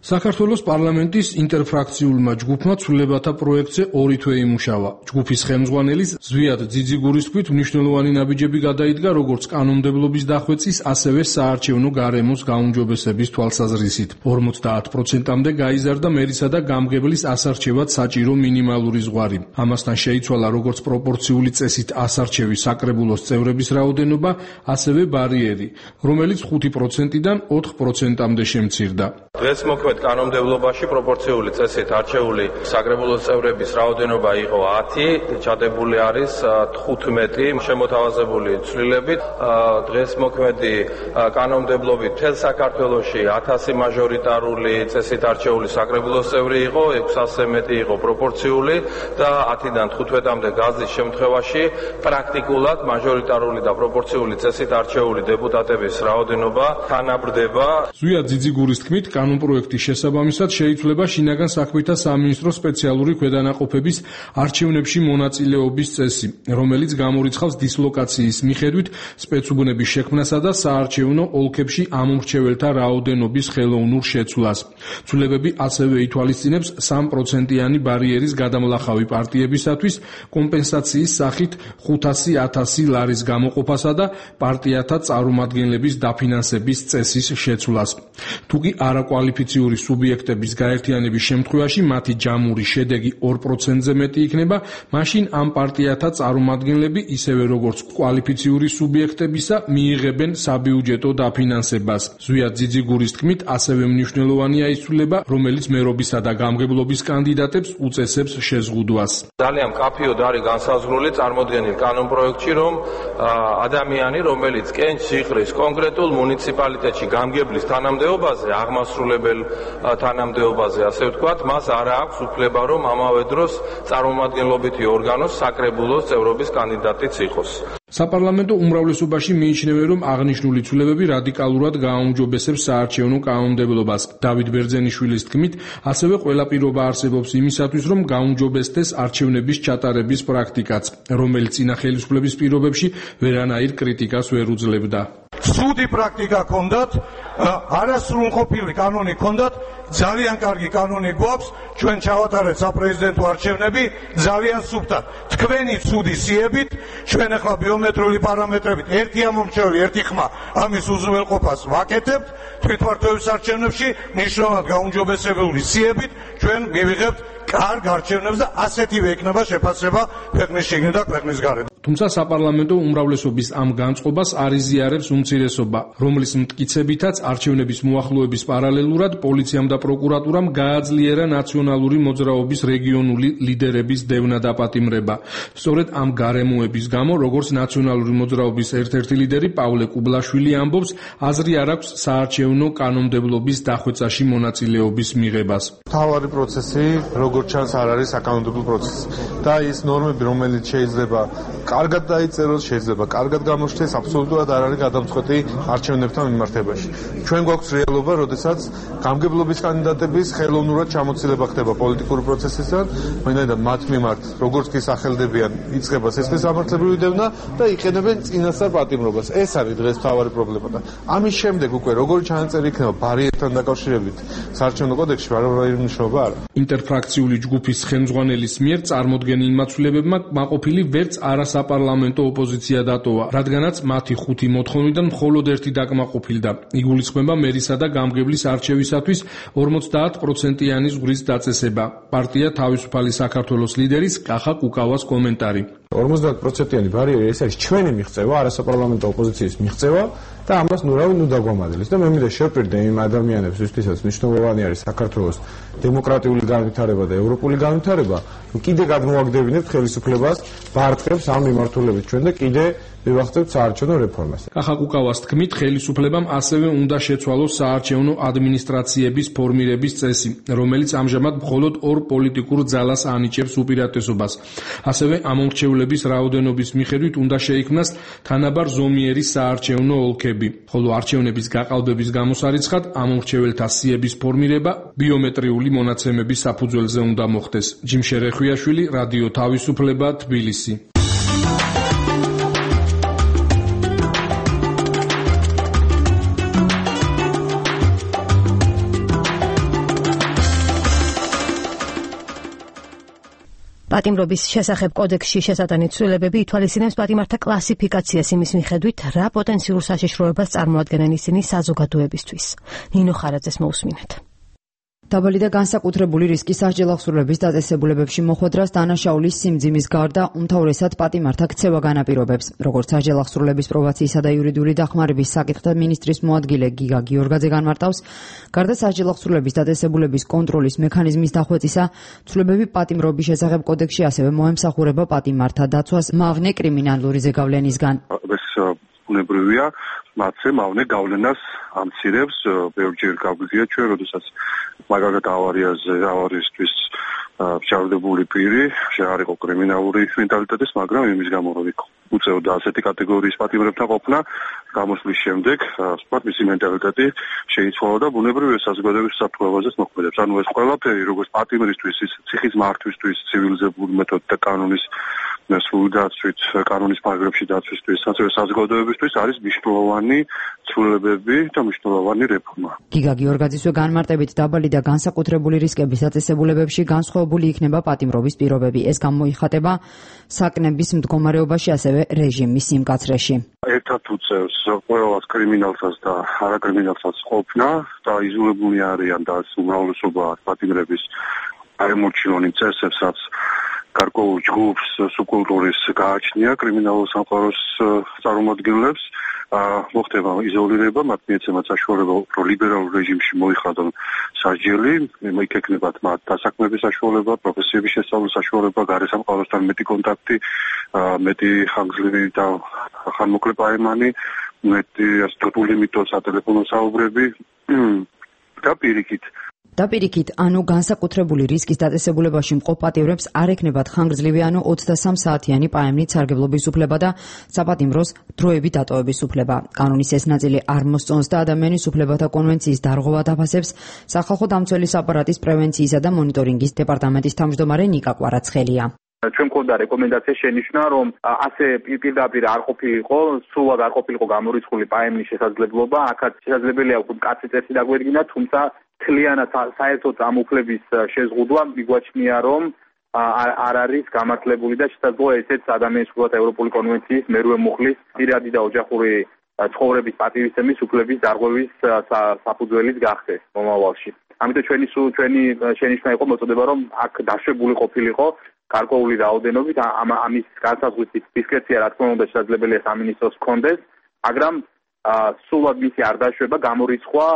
S7: საქართველოს პარლამენტის ინტერფრაქციულმა ჯგუფმა ცვლილებათა პროექტზე 2 თვე იმუშავა. ჯგუფის ხელმძღვანელის ზვიად ძიძიგურის თქმით, მნიშვნელოვანი ნაბიჯები გადაიდგა როგორც კანონმდებლობის დახვეწის, ასევე საარჩევნო გარემოს გაუმჯობესების თვალსაზრისით. 50%-მდე გაიზარდა მერისა და გამგებლის ასარჩევად საჭირო მინიმალური ზღვარი. ამასთან შეიცვალა როგორც პროპორციული წესით ასარჩევის საკრებულოს წევრების რაოდენობა, ასევე ბარიერი, რომელიც 5%-დან 4%-მდე შემცირდა.
S15: დღეს მოქმედ კანონმდებლობაში პროპორციული წესით არჩეული საკრებულოს წევრების რაოდენობა იყო 10, ჩადებული არის 15 შემოთავაზებული ცვლილებით. დღეს მოქმედი კანონმდებლობით მთელ საქართველოში 1000 მაჟორიტარული წესით არჩეული საკრებულოს წევრი იყო, 600 მეტი იყო პროპორციული და 10-დან 15-მდე გაზის შემთხვევაში პრაქტიკულად მაჟორიტარული და პროპორციული წესით არჩეული დეპუტატების რაოდენობა თანაბრდება.
S7: ზვია ძიძიგურის თქმით, კანონპროექტის შესაბამისად შეიცვლება შინაგან საქმეთა სამინისტროს სპეციალური ქვედანაყოფების არჩევნებში მონაწილეობის წესი, რომელიც გამორიცხავს დისლოკაციის მიხედვით სპეცუბნების შექმნასა და საარჩევნო ოლქებში ამომრჩეველთა რაოდენობის ხელოვნურ შეცვლას. ცვლილებები ასევე ითვალისწინებს 3%-იანი ბარიერის გადამლახავი პარტიებისათვის კომპენსაციის სახით 500.000 ლარის გამოყოფასა და პარტიათა წარმომადგენლების დაფინანსების წესის შეცვლას. თუკი არაკვალიფიციური სუბიექტების გაერთიანების შემთხვევაში მათი ჯამური შედეგი 2%-ზე მეტი იქნება, მაშინ ამ პარტიათა წარმომადგენლები ისევე როგორც კვალიფიციური სუბიექტებისა მიიღებენ საბიუჯეტო დაფინანსებას. ზვია ძიძიგურის თქმით, ასევე მნიშვნელოვანია ის ცვლილება, რომელიც მერობისა და გამგებლობის კანდიდატებს უწესებს შეზღუდვას.
S15: ძალიან მკაფიოდ არის განსაზღვრული წარმოდგენილ კანონპროექტში, რომ ადამიანი, რომელიც კენჭს იღრის კონკრეტულ მუნიციპალიტეტში გამგებლის თანამდებობაზე, აღმასრულებელ თანამდებობაზე, ასე ვთქვათ, მას არ აქვს უფლება, რომ ამავე დროს წარმომადგენლობითი ორგანოს საკრებულოს წევრობის კანდიდატიც იყოს.
S7: საპარლამენტო უმრავლესობაში მიიჩნევენ, რომ აღნიშნული ცვლილებები რადიკალურად გააუმჯობესებს საარჩევნო კანონმდებლობას. დავით ბერძენიშვილის თქმით, ასევე ყველა პირობა არსებობს იმისათვის, რომ გაუმჯობესდეს არჩევნების ჩატარების პრაქტიკაც, რომელიც წინა ხელისუფლების პირობებში ვერანაირ კრიტიკას ვერ უძლებდა.
S5: სუდი პრაქტიკა ჰქონდათ, არასრულყოფილი კანონი ჰქონდათ, ძალიან კარგი კანონი გვაქვს, ჩვენ ჩავატარეთ საპრეზიდენტო არჩევნები ძალიან სუფთად. თქვენი ცუდი სიებით, ჩვენ ახლა ბიომეტრიული პარამეტრებით ერთი ამომრჩეველი, ერთი ხმა ამის უზრუნველყოფას ვაკეთებთ, თვითმმართველობის არჩევნებში მნიშვნელოვნად გაუმჯობესებული სიებით ჩვენ მივიღებთ კარგ არჩევნებს და ასეთივე იქნება შეფასება ქვეყნის შიგნით და ქვეყნის გარეთ.
S7: თუმცა საპარლამენტო უმრავლესობის ამ განწყობას არ იზიარებს უმცირესობა, რომლის მტკიცებითაც არჩევნების მოახლოების პარალელურად პოლიციამ და პროკურატურამ გააძლიერა ნაციონალური მოძრაობის რეგიონული ლიდერების დევნა და პატიმრება. სწორედ ამ გარემოების გამო, როგორც ნაციონალური მოძრაობის ერთ-ერთი ლიდერი პავლე კუბლაშვილი ამბობს, აზრი არ აქვს საარჩევნო კანონმდებლობის დახვეწაში მონაწილეობის მიღებას.
S16: თავარი პროცესი, როგორც ჩანს, არ არის საკანონმდებლო პროცესი. და ის ნორმები, რომელიც შეიძლება კარგად დაიწეროს, შეიძლება კარგად გამოჩნდეს, აბსოლუტურად არ არის გადამწყვეტი არჩევნებთან მიმართებაში. ჩვენ გვაქვს რეალობა, როდესაც გამგებლობის კანდიდატების ხელოვნურად ჩამოცილება ხდება პოლიტიკური პროცესისგან, ვინაიდან მათ მიმართ, როგორც კი სახელდებიან, იწყება სისხლის სამართლებრივი დევნა და იყენებენ წინასწარ პატიმრობას. ეს არის დღეს მთავარი პრობლემა და ამის შემდეგ უკვე როგორი ჩანაწერი იქნება ბარიერთან დაკავშირებით საარჩევნო კოდექსში ვარავითარი მნიშვნელობა არ აქვს.
S7: ინტერფრაქციული ჯგუფის ხელმძღვანელის მიერ წარმოდგენილ მაცვლებებმა კმაყოფილი ვერც არასაპარლამენტო ოპოზიცია დატოვა, რადგანაც მათი 5 მოთხოვნიდან მხოლოდ ერთი დაკმაყოფილდა. იგულისხმება მერისა და გამგებლის არჩევისათვის 50%-იანი ზღვრის დაწესება. პარტია თავისუფალი საქართველოს ლიდერის კახა კუკავას კომენტარი.
S17: 50%-იანი ბარიერი ეს არის ჩვენი მიღწევა, არასაპარლამენტო ოპოზიციის მიღწევა და ამას ნუ დაგვამადლის და მე მინდა შევპირდე იმ ადამიანებს, ვისთვისაც მნიშვნელოვანი არის საქართველოს დემოკრატიული განვითარება და ევროპული განვითარება, კიდე გადმოაგდებინებთ ხელისუფლებას, ბარტყებს ამ მიმართულებით ჩვენ და კიდე მივახცევთ საარჩევნო რეფორმას.
S7: კახა კუკავას თქმით, ხელისუფლებამ ასევე უნდა შეცვალოს საარჩევნო ადმინისტრაციების ფორმირების წესი, რომელიც ამჟამად მხოლოდ ორ პოლიტიკურ ძალას ანიჭებს უპირატესობას. ასევე ამომრჩევლების რაოდენობის მიხედვით უნდა შეიქმნას თანაბარ ზომიერი საარჩევნო ოლქები, ხოლო არჩევნების გაყალბების გამოსარიცხად ამომრჩეველთა სიების ფორმირება ბიომეტრიული მონაცემების საფუძველზე უნდა მოხდეს. ჯიმშე რეხვიაშვილი, რადიო თავისუფლება, თბილისი.
S1: პატიმრობის შესახებ კოდექსში შესატანი ცვლილებები ითვალისწინებს პატიმართა კლასიფიკაციას იმის მიხედვით, რა პოტენციურ საშიშროებას წარმოადგენენ ისინი საზოგადოებისთვის. ნინო ხარაძეს მოусმინეთ.
S18: დაბალი და განსაკუთრებული რისკის სასჯელ აღსრულების დაწესებულებებში მოხვედრას დანაშაულის სიმძიმის გარდა უმთავრესად პატიმართა ქცევა განაპირობებს. როგორც სასჯელ აღსრულების პრობაციისა და იურიდიული დახმარების საკითხთა მინისტრის მოადგილე გიგა გიორგაძე განმარტავს, გარდა სასჯელ აღსრულების დაწესებულების კონტროლის მექანიზმის დახვეწისა, ცვლილებები პატიმრობის შესახებ კოდექსში ასევე მოემსახურება პატიმართა დაცვას მავნე კრიმინალური ზეგავლენისგან.
S19: ეს ბუნებრივია, მათზე მავნე გავლენას ამცირებს, ბევრჯერ გავგზია ჩვენ, როდესაც მაგალითად ავარიისთვის შარდებული პირი არ იყო კრიმინალური მენტალიტეტის, მაგრამ იმის გამო რომ უწევდა ასეთი კატეგორიის პატიმრებთან ყოფნა, გამოსვლის შემდეგ სპორტ მისი მენტალიტეტი შეიცვალა და ბუნებრივია საზოგადოების საფრთხეებაზეც მოქმედებს. ანუ ეს ყველაფერი როგორც პატიმრისთვის, ციხის მართვისთვის, ცივილიზებული მეთოდით და კანონის სრული დაცვით, კანონის პარაგრაფში დაცვისთვის, ასევე საზოგადოებისთვის არის მნიშვნელოვანი ცვლილებები და მნიშვნელოვანი რეფორმა.
S18: გიგა გიორგაძისვე განმარტებით დაბალი და განსაკუთრებული რისკების დაწესებულებებში განსხვავებული იქნება პატიმრობის პირობები. ეს გამოიხატება საკნების მდგომარეობაში, ასევე რეჟიმის სიმკაცრეში.
S19: ერთად უწევს ყველას კრიმინალსაც და არაკრიმინალსაც ყოფნა და იზოლებული არიან და უმრავლესობა პატიმრების აემორჩილონი წესებსაც გარკვეულ ჯგუფს სუბკულტურის გააჩნია კრიმინალურ სამყაროს წარმომადგენლებს, მოხდება იზოლირება, მათ მიეცემათ საშუალება უფრო ლიბერალურ რეჟიმში მოიხადონ სასჯელი, იქნებათ მათ დასაქმების საშუალება, პროფესიების შესწავლის საშუალება, გარესამყაროსთან მეტი კონტაქტი, მეტი ხანგრძლივი და ხანმოკლე პაემანი, მეტი limito სატელეფონო საუბრები და
S18: პირიქით, ანუ განსაკუთრებული რისკის დაწესებულებაში მყოფ პატიმრებს არ ექნებათ ხანგრძლივი, ანუ 23 საათიანი პაემნით სარგებლობის უფლება და საპატიმროს დროებით დატოვების უფლება. კანონის ეს ნაწილი არ მოსწონს და ადამიანის უფლებათა კონვენციის დარღვევა დაფასებს სახალხო დამცველის აპარატის პრევენციისა და მონიტორინგის დეპარტამენტის თავმჯდომარე ნიკა კვარაცხელია.
S20: ჩვენ მქონდა რეკომენდაცია შენიშვნა, რომ ასე პირდაპირ არ ყოფილიყო, სრულად არ ყოფილიყო გამორიცხული პაემნის შესაძლებლობა, აქაც შესაძლებელია უკვე მკაცრი წესი დაგვერგინა, თუმცა თლიანად საერთოდ ამ უფლების შეზღუდვა მიგვაჩნია, რომ არ არის გამართლებული და შესაძლოა ესეც ადამიანის უფლებათა ევროპული კონვენციის მერვე მუხლის პირადი და ოჯახური ცხოვრების პატივისცემის უფლების დარღვევის საფუძველიც გახდეს მომავალში. ამიტომ ჩვენი შენიშვნა იყო მოწოდება, რომ აქ დაშვებული ყოფილიყო გარკვეული რაოდენობით ამის განსაზღვრის დისკრეცია რა თქმა უნდა შესაძლებელია სამინისტროს ჰქონდეს, მაგრამ სულად მისი არ დაშვება გამორიცხვა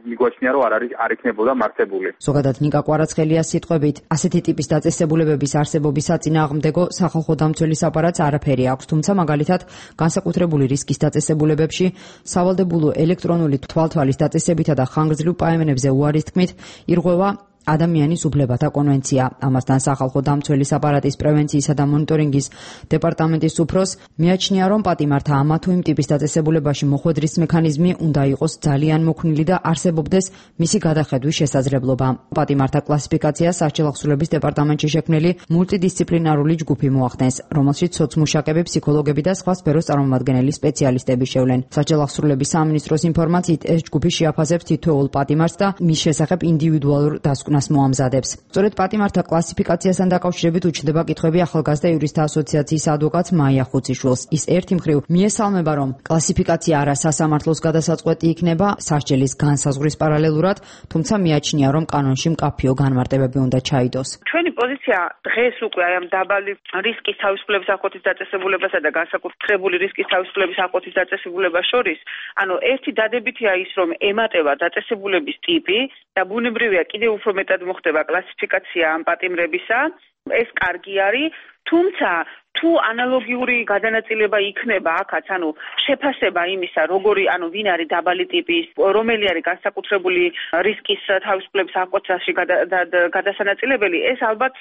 S20: მიგვაჩნია რომ არ იქნებოდა მართებული.
S18: ზოგადად ნიკა კვარაცხელიას სიტყვებით, ასეთი ტიპის დაწესებულებების არსებობის საწინააღმდეგო სახალხო დამცველის აპარატს არაფერი აქვს, თუმცა მაგალითად განსაკუთრებული რისკის დაწესებულებებში სავალდებულო ელექტრონული თვალთვალის დაწესებითა და ხანგრძლივ პაემნებზე უარის თქმით ირღვევა ადამიანის უფლებათა კონვენცია. ამასთან სახალხო დამცველის აპარატის პრევენციისა და მონიტორინგის დეპარტამენტის უფროს მიაჩნია, რომ პატიმართა ამა თუ იმ ტიპის დაწესებულებაში მოხვედრის მექანიზმი უნდა იყოს ძალიან მოქნილი და არსებობდეს მისი გადახედვის შესაძლებლობა. პატიმართა კლასიფიკაციას სასჯელახსრულების დეპარტამენტში შექმნილი მულტიდისციპლინარული ჯგუფი მოახდენს, რომელშიც სოცმუშაკები, ფსიქოლოგები და სხვა სფეროს წარმომადგენელი სპეციალისტები შევლენ. სასჯელახსრულების სამინისტროს ინფორმაციით ეს ჯგუფი შეაფასებს თითოეულ პატიმარს და მის შესახებ ინდივიდუალურ დასკვნას მოამზადებს. სწორედ პატიმართა კლასიფიკაციასთან დაკავშირებით უჩნდება კითხვები ახალგაზრდა იურისტთა ასოციაციის ადვოკატ მაია ხუციშვილს. ის ერთი მხრივ მიესალმება, რომ კლასიფიკაცია არა სასამართლოს გადასაწყვეტი იქნება სასჯელის განსაზღვრის პარალელურად, თუმცა მიაჩნია, რომ კანონში მკაფიო განმარტებები უნდა ჩაიდოს.
S21: ჩვენი პოზიცია დღეს უკვე აი ამ დაბალი რისკის თავისუფლების აღკვეთის დაწესებულებასა და განსაკუთრებული რისკის თავისუფლების აღკვეთის დაწესებულებას შორის, ანუ ერთი დადებითია ის, რომ ემატება დაწესებულების ტიპი და ბუნებრივია კიდევ უფრო მეტად მოხდება კლასიფიკაცია ამ პატიმრებისა, ეს კარგი არის, თუმცა თუ ანალოგიური გადანაწილება იქნება აქაც, ანუ შეფასება იმისა, როგორი, ანუ ვინ არის დაბალი ტიპის, რომელი არის განსაკუთრებული რისკის თავისუფლების აღკვეთაში გადასანაწილებელი, ეს ალბათ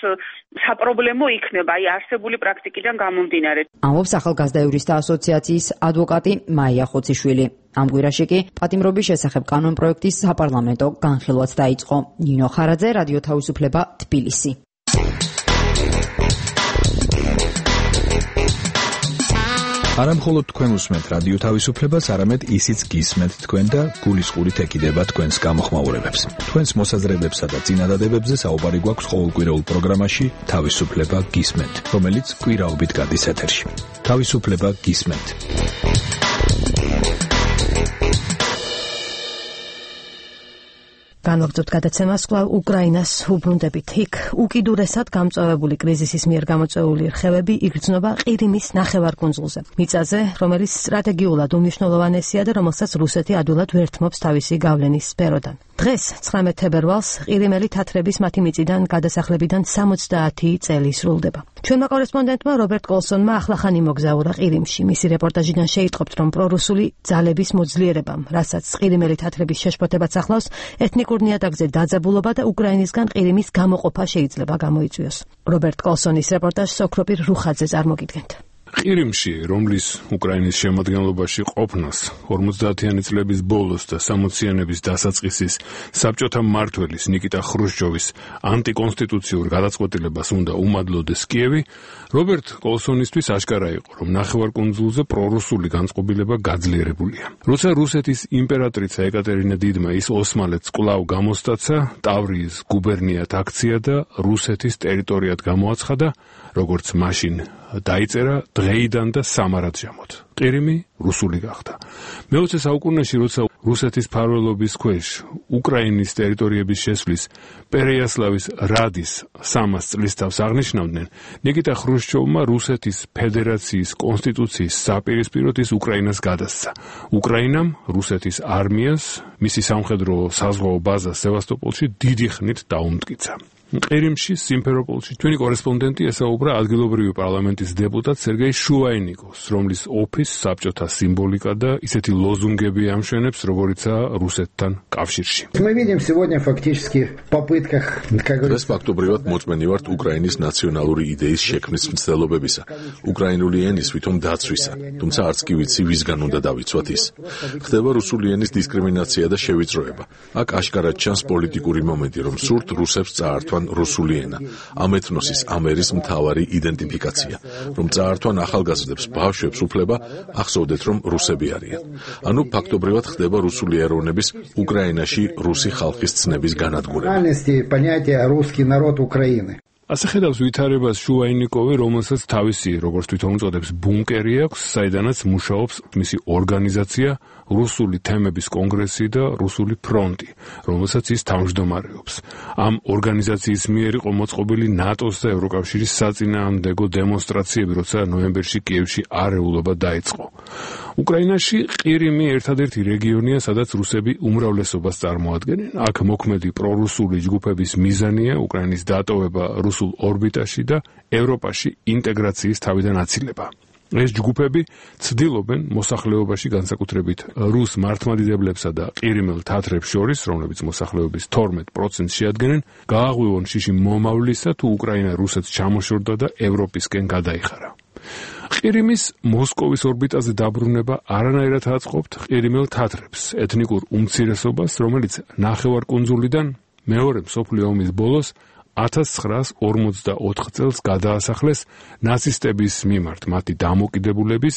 S21: საპრობლემო იქნება, აი არსებული პრაქტიკიდან გამომდინარე.
S18: ამბობს ახალგაზრდა იურისტთა ასოციაციის ადვოკატი მაია ხუციშვილი. ამ კვირაში კი პატიმრობის შესახებ კანონპროექტის საპარლამენტო განხილვაც დაიწყო. ნინო ხარაძე, რადიო თავისუფლება, თბილისი.
S22: არა მხოლოდ თქვენ უსმენთ რადიო თავისუფლებას, არამედ ისიც გისმენთ თქვენ და გულისყურით ეკიდება თქვენს გამოხმაურებებს. თქვენს მოსაზრებებსა და წინადადებებზე საუბარი გვაქვს ყოველკვირეულ პროგრამაში თავისუფლება გისმენთ, რომელიც კვირაობით გადის ეთერში. თავისუფლება გისმენთ.
S1: განვაგრძობთ გადაცემას კვლავ უკრაინას უბრუნდებით. იქ უკიდურესად გამწვავებული კრიზისის მიერ გამოწვეული რხევები იგრძნობა ყირიმის ნახევარკუნძულზე. მიწაზე, რომელიც სტრატეგიულად უმნიშვნელოვანესია და რომელსაც რუსეთი ადვილად ვერ თმობს თავისი გავლენის სფეროდან. დღეს 19 თებერვალს ყირიმელი თათრების მათი მიწიდან გადასახლებიდან 70 წელი სრულდება. ჩვენმა კორესპონდენტმა რობერტ კოლსონმა ახლახანი მოგზაურა ყირიმში. მისი რეპორტაჟიდან შეიტყობთ, რომ პრორუსული ძალების მოძლიერებამ, რასაც ყირიმელი თათრების შეშფოთებაც ახლავს, ეთნიკურ ნიადაგზე დაძაბულობა და უკრაინისგან ყირიმის გამოყოფა შეიძლება გამოიწვიოს. რობერტ კოლსონის რეპორტაჟს ოქროპირ რუხაძე წარმოგიდგენთ.
S7: ყირიმში, რომლის უკრაინის შემადგენლობაში ყოფნას 50-იანი წლების ბოლოს და 60-იანების დასაწყისის საბჭოთა მმართველის ნიკიტა ხრუშჩოვის ანტიკონსტიტუციურ გადაწყვეტილებას უნდა უმადლოდეს კიევი, რობერტ კოლსონისთვის აშკარა იყო, რომ ნახევარკუნძულზე პრორუსული განწყობილება გაძლიერებულია. როცა რუსეთის იმპერატრიცა ეკატერინა დიდმა ის ოსმალეთს კვლავ გამოსტაცა, ტავრიის გუბერნიად აქცია და რუსეთის ტერიტორიად გამოაცხადა, როგორც მაშინ დაიწერა დღეიდან და სამარადჟამოდ. ყირიმი რუსული გახდა. მე-20 საუკუნეში, როცა რუსეთის მფარველობის ქვეშ უკრაინის ტერიტორიების შესვლის პერეიასლავის რადის 300 წლის თავს აღნიშნავდნენ, ნიკიტა ხრუშჩოვმა რუსეთის ფედერაციის კონსტიტუციის საპირისპიროდ ის უკრაინას გადასცა. უკრაინამ რუსეთის არმიას მისი სამხედრო საზღვაო ბაზა სევასტოპოლში დიდი ხნით დაუმტკიცა. ყირიმში, სიმფეროპოლში ჩვენი კორესპონდენტი ესაუბრა ადგილობრივი პარლამენტის დეპუტატ სერგეი შუაინიკოვს, რომლის ოფისს საბჭოთა სიმბოლიკა და ისეთი ლოზუნგები ამშვენებს, როგორიცაა რუსეთთან კავშირში.
S3: დღეს ფაქტობრივად მოწმენი ვართ უკრაინის ნაციონალური იდეის შექმნის მცდელობებისა, უკრაინული ენის ვითომ დაცვისა, თუმცა არც კი ვიცი ვისგან უნდა დავიცვათ ის. ხდება რუსული ენის დისკრიმინაცია და შევიწროება. აქ აშკარად ჩანს პოლიტიკური მომენტი, რომ სურთ რუსებს წაართვან რუსული ენა, ამ ეთნოსის, ამ ერის მთავარი იდენტიფიკაცია, რომ წაართვან ახალგაზრდებს, ბავშვებს უფლება, ახსოვდეთ, რომ რუსები არიან. ანუ ფაქტობრივად ხდება რუსული ეროვნების უკრაინაში რუსი ხალხის ცნების განადგურება.
S7: ასე ხედავს ვითარებას შუაინიკოვი, რომელსაც თავისი, როგორც თვითონ უწოდებს, ბუნკერი აქვს, საიდანაც მუშაობს მისი ორგანიზაცია რუსული თემების კონგრესი და რუსული ფრონტი, რომელსაც ის თავმჯდომარეობს. ამ ორგანიზაციის მიერ იყო მოწყობილი ნატოს და ევროკავშირის საწინააღმდეგო დემონსტრაციები, როცა ნოემბერში კიევში არეულობა დაიწყო. უკრაინაში ყირიმი ერთადერთი რეგიონია, სადაც რუსები უმრავლესობას წარმოადგენენ. აქ მოქმედი პრორუსული ჯგუფების მიზანია უკრაინის დატოვება რუსულ ორბიტაში და ევროპაში ინტეგრაციის თავიდან აცილება. ეს ჯგუფები ცდილობენ მოსახლეობაში, განსაკუთრებით რუს მართლმადიდებლებსა და ყირიმელ თათრებს შორის, რომლებიც მოსახლეობის 12%-ს შეადგენენ, გააღვივონ შიში მომავლისა, თუ უკრაინა რუსეთს ჩამოშორდა და ევროპისკენ გადაიხარა. ყირიმის მოსკოვის ორბიტაზე დაბრუნება არანაირად აწყობთ ყირიმელ თათრებს, ეთნიკურ უმცირესობას, რომელიც ნახევარკუნძულიდან მეორე მსოფლიო ომის ბოლოს 1944 წელს გადაასახლეს ნაცისტების მიმართ მათი დამოკიდებულების,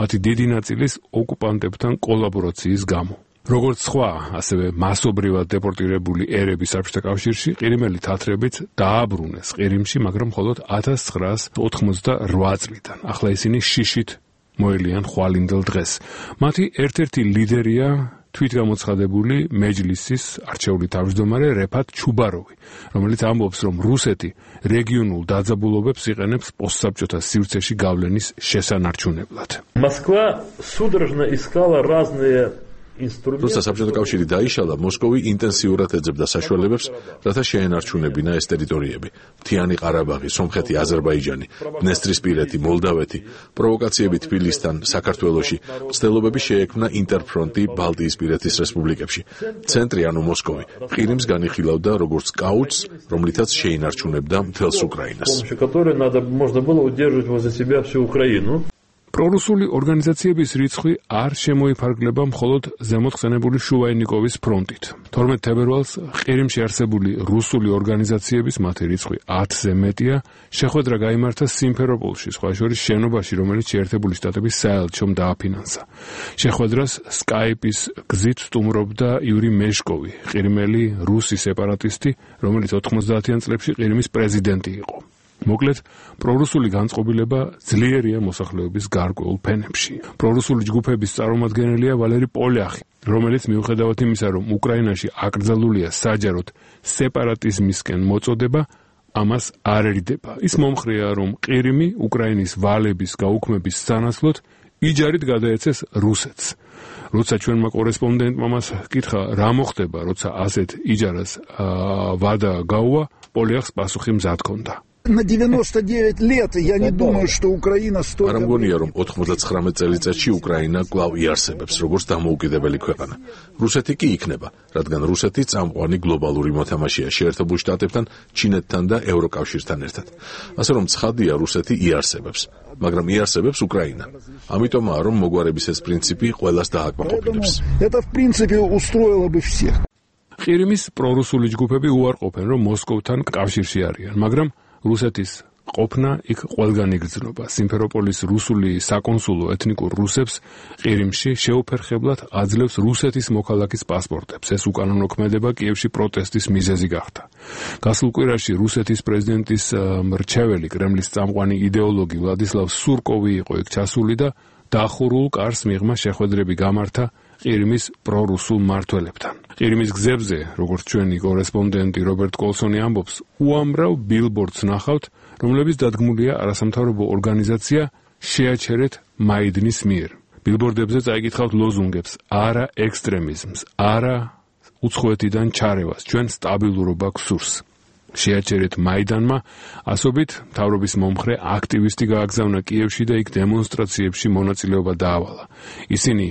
S7: მათი დიდი ნაწილის ოკუპანტებთან კოლაბორაციის გამო. როგორც სხვა, ასევე მასობრივად დეპორტირებული ერები საბჭოთა კავშირში, ყირიმელი თათრებიც დააბრუნეს ყირიმში, მაგრამ მხოლოდ 1988 წლიდან. ახლა ისინი შიშით მოელიან ხვალინდელ დღეს. მათი ერთ-ერთი ლიდერია თვითგამოცხადებული მეჯლისის არჩეული თავმჯდომარე რეფათ ჩუბაროვი, რომელიც ამბობს, რომ რუსეთი რეგიონულ დაძაბულობებს იყენებს პოსტსაბჭოთა სივრცეში გავლენის შესანარჩუნებლად.
S2: Москва судорожно искала разные
S3: როცა საბჭოთა კავშირი დაიშალა, მოსკოვი ინტენსიურად ეძებდა საშუალებებს, რათა შეენარჩუნებინა ეს ტერიტორიები. მთიანი ყარაბაღი, სომხეთი, აზერბაიჯანი, დნესტრისპირეთი, მოლდავეთი, პროვოკაციები თბილისთან, საქართველოში, მცდელობები შეექმნა ინტერფრონტი ბალტიისპირეთის რესპუბლიკებში. ცენტრი, ანუ მოსკოვი, ყირიმს განიხილავდა როგორც კაუჩს, რომლითაც შეინარჩუნებდა მთელს უკრაინას. პრორუსული ორგანიზაციების რიცხვი არ შემოიფარგლება მხოლოდ ზემოთხსენებული შუაენიკოვის ფრონტით. 12 თებერვალს ყირიმში არსებული რუსული ორგანიზაციების მათი რიცხვი 10-ზე მეტია, შეხვედრა გაიმართა სიმფეროპოლში, სხვა შორის შენობაში, რომელიც შეერთებული შტატების საელჩომ დააფინანსა. შეხვედრას სკაიპის გზით სტუმრობდა იური მეშკოვი, ყირიმელი რუსი სეპარატისტი, რომელიც 90-იან წლებში ყირიმის პრეზიდენტი იყო. მოკლედ, პრორუსული განწყობილება ძლიერია მოსახლეობის გარკვეულ ფენებში. პრორუსული ჯგუფების წარმომადგენელია ვალერი პოლიახი, რომელიც მიუხედავად იმისა, რომ უკრაინაში აკრძალულია საჯაროდ სეპარატიზმისკენ მოწოდება, ამას არ ერიდება. ის მომხრეა, რომ ყირიმი უკრაინის ვალების გაუქმების სანაცვლოდ იჯარით გადაეცეს რუსეთს. როცა ჩვენმა კორესპონდენტმა მას კითხა, რა მოხდება, როცა ასეთ იჯარას ვადა გაუვა, პოლიახს პასუხი მზად ჰქონდა.
S11: На 99 лет я не думаю, что Украина стоит.
S3: არ მგონია, რომ 99 წელიწადში უკრაინა კვლავ იარსებებს, როგორც დამოუკიდებელი ქვეყანა. რუსეთი კი იქნება, რადგან რუსეთი წამყვანი გლობალური მოთამაშეა შეერთებულ შტატებთან, ჩინეთთან და ევროკავშირთან ერთად. ასე რომ ცხადია, რუსეთი იარსებებს, მაგრამ იარსებებს უკრაინა. ამიტომაა, რომ მოგვარების ეს პრინციპი ყველას დააკმაყოფილებს.
S11: Это в принципе устроило бы всех.
S7: ყირიმის პრორუსული ჯგუფები უარყოფენ, რომ მოსკოვთან კავშირში არიან, მაგრამ რუსეთის ყოფნა იქ ყველგან იგრძნობა. სიმფეროპოლის რუსული საკონსულო ეთნიკურ რუსებს ყირიმში შეუფერხებლად აძლევს რუსეთის მოქალაქის პასპორტებს. ეს უკანონო ქმედება კიევში პროტესტის მიზეზი გახდა. გასულ კვირაში რუსეთის პრეზიდენტის მრჩეველი, კრემლის წამყვანი იდეოლოგი ვლადისლავ სურკოვი იყო იქ ჩასული და დახურულ კარს მიღმა შეხვედრები გამართა ყირიმის პრორუსულ მმართველებთან. ყირიმის გზებზე, როგორც ჩვენი კორესპონდენტი რობერტ კოლსონი ამბობს, უამრავ ბილბორდს ნახავთ, რომლებიც დადგმულია არასამთავრობო ორგანიზაცია შეაჩერეთ მაიდნის მიერ. ბილბორდებზე წაიკითხავთ ლოზუნგებს: არა ექსტრემიზმს, არა უცხოეთიდან ჩარევას, ჩვენ სტაბილურობა გსურს. შეაჩერეთ მაიდანმა ასობით მთავრობის მომხრე აქტივისტი გააგზავნა კიევში და იქ დემონსტრაციებში მონაწილეობა დაავალა. ისინი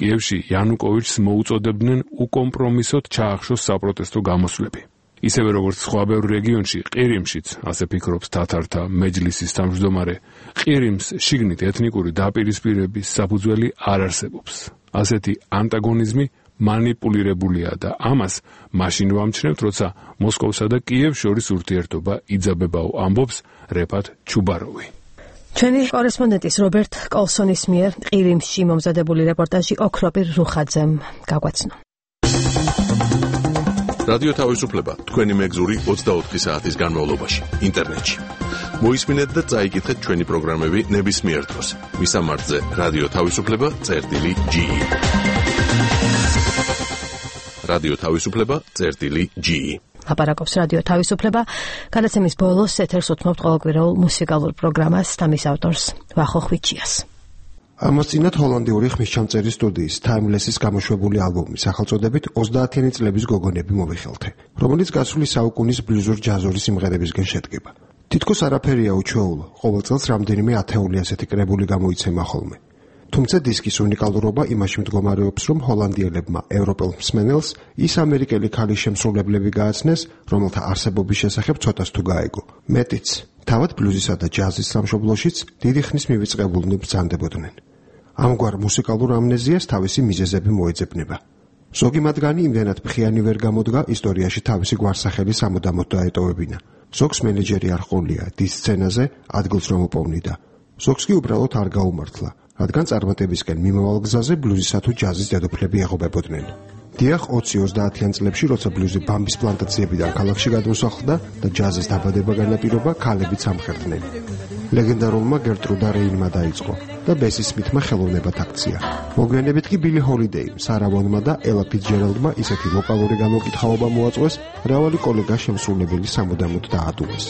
S7: კიევში იანუკოვიჩს მოუწოდებდნენ უკომპრომისოდ ჩაახშოს საპროტესტო გამოსვლები. ისევე როგორც სხვა ბევრ რეგიონში, ყირიმშიც, ასე ფიქრობს თათართა მეჯლისის თავმჯდომარე, ყირიმს შიგნით ეთნიკური დაპირისპირების საფუძველი არ არსებობს. ასეთი ანტაგონიზმი манипулირებულია და ამას მაშინ ვამჩნევთ, როცა მოსკოვსა და კიევს შორის ურთიერთობა იძაბებაო, ამბობს რეფათ ჩუბაროვი.
S1: ჩვენი კორესპონდენტის რობერტ კოლსონის მიერ ყირიმში მომზადებული რეპორტაჟი ოქროპირ რუხაძემ გაგვაცნო.
S3: რადიო თავისუფლება თქვენი მეგზური 24 საათის განმავლობაში ინტერნეტში. მოისმინეთ და წაიკითხეთ ჩვენი პროგრამები ნებისმიერ დროს. მისამართზე რადიო თავისუფლება.ge რადიო თავისუფლება წერტილი G.
S1: ლაპარაკობს რადიო თავისუფლება. გადაცემის ბოლოს ეთერს უთმობთ ყოველკვირეულ მუსიკალურ პროგრამას და მის ავტორს ვახო ხვიჩიას.
S4: ამასწინათ ჰოლანდიური ხმისჩამწერი სტუდიის Timeless-ის გამოშვებული ალბომის სახელწოდებით 30-იანი წლების გოგონები მოვიხელთე, რომელიც გასული საუკუნის ბლუზურ ჯაზური სიმღერებისგან შედგება. თითქოს არაფერია უჩვეულო, ყოველ წელს რამდენიმე ათეული ასეთი კრებული გამოიცემა ხოლმე. თუმცა დისკის უნიკალურობა იმაში მდგომარეობს, რომ ჰოლანდიელებმა ევროპელ მსმენელს ის ამერიკელი ქალის შემსრულებლები გააცნეს, რომელთა არსებობის შესახებ ცოტას თუ გაეგო. მეტიც, თავად ბლუზისა და ჯაზის სამშობლოშიც დიდი ხნის მივიწყებულნი ბრძანდებოდნენ. ამგვარ მუსიკალურ ამნეზიას თავისი მიზეზები მოეძებნება. ზოგი მათგანი იმდენად ფხიანი ვერ გამოდგა, ისტორიაში თავისი გვარსახელი სამუდამოდ დაეტოვებინა. ზოგს მენეჯერი არ ყოლია დის სცენაზე ადგილს რომ უპოვნიდა. ზოგს კი უბრალოდ არ გაუმართლა, რადგან წარმატებისკენ მიმავალ გზაზე ბლუზისა თუ ჯაზის დედოფლები ეღობებოდნენ. დიახ, 20-30-იან წლებში, როცა ბლუზი ბამბის პლანტაციებიდან ქალაქში გადმოსახლდა და ჯაზის დაბადება განაპირობა, ქალებიც ამხერდნენ. ლეგენდარულმა გერტრუდა რეინმა დაიწყო და ბესი სმითმა ხელოვნებად აქცია. მოგვიანებით კი ბილი ჰოლიდეიმ, სარა ვონმა და ელა ფიცჯერალდმა ისეთი ვოკალური გამოკითხაობა მოაწყვეს, მრავალი კოლეგა შემსრულებელი სამუდამოდ დაადუეს.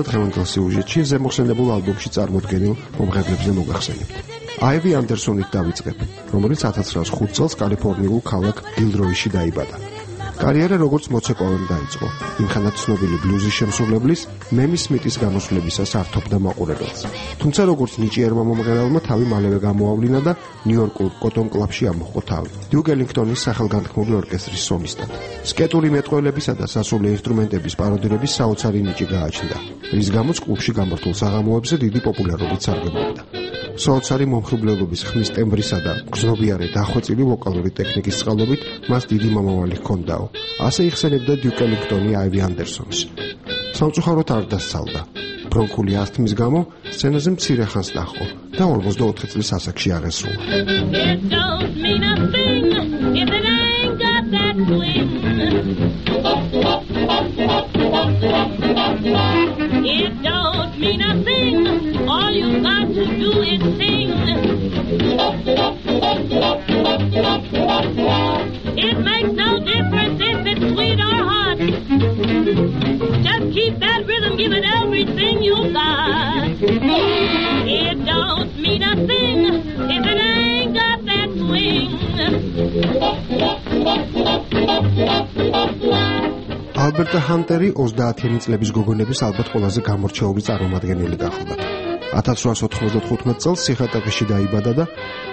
S4: დღევანდელ სიუჟეტში ზემოხსენებულ ალბომში წარმოდგენილ მომღერლებზე მოგახსენებთ. აივი ანდერსონით დავიწყებ, რომელიც 1905 წელს კალიფორნიულ ქალაქ გილროიში დაიბადა. კარიერა როგორც მოცეკვავემ დაიწყო, იმხანად ცნობილი ბლუზის შემსრულებლის მემი სმიტის გამოსვლებისას ართობდა მაყურებელს. თუმცა როგორც ნიჭიერმა მომღერალმა თავი მალევე გამოავლინა და ნიუ-იორკულ კოტონ კლაბში ამოჰყო თავი. დიუკ ელინგტონის სახელგანთქმული ორკესტრის სოლისტად. სკეტური მეტყველებისა და სასულე ინსტრუმენტების პაროდირების საოცარი ნიჭი გააჩნდა, რის გამოც კლუბში გამართულ საღამოებზე დიდი პოპულარობით სარგებლობდა. საოცარი მომხიბლელობის ხმის ტემბრისა და გრძნობიარე დახვეწილი ვოკალური ტექნიკის წყალობით მას დიდი მომავალი ჰქონდაო. ასე იხსენებდა დიუკ ელინგტონი აივი ანდერსონს. სამწუხაროდ არ დასცალდა. ბრონქული ასთმის გამო სცენაზე მცირე ხანს დაჰყო და 44 წლის ასაკში აღესრულა.
S6: It don't mean a thing. All you got to do is sing. It makes no difference if it's sweet or hot. Just keep that rhythm, give it everything you got. It don't mean a thing if it ain't got that swing.
S4: ალბერტა ჰანტერი 30-იანი წლების გოგონების ალბათ ყველაზე გამორჩეული წარმომადგენელი გახლდათ. 1895 წელს სიხატაკეში დაიბადა და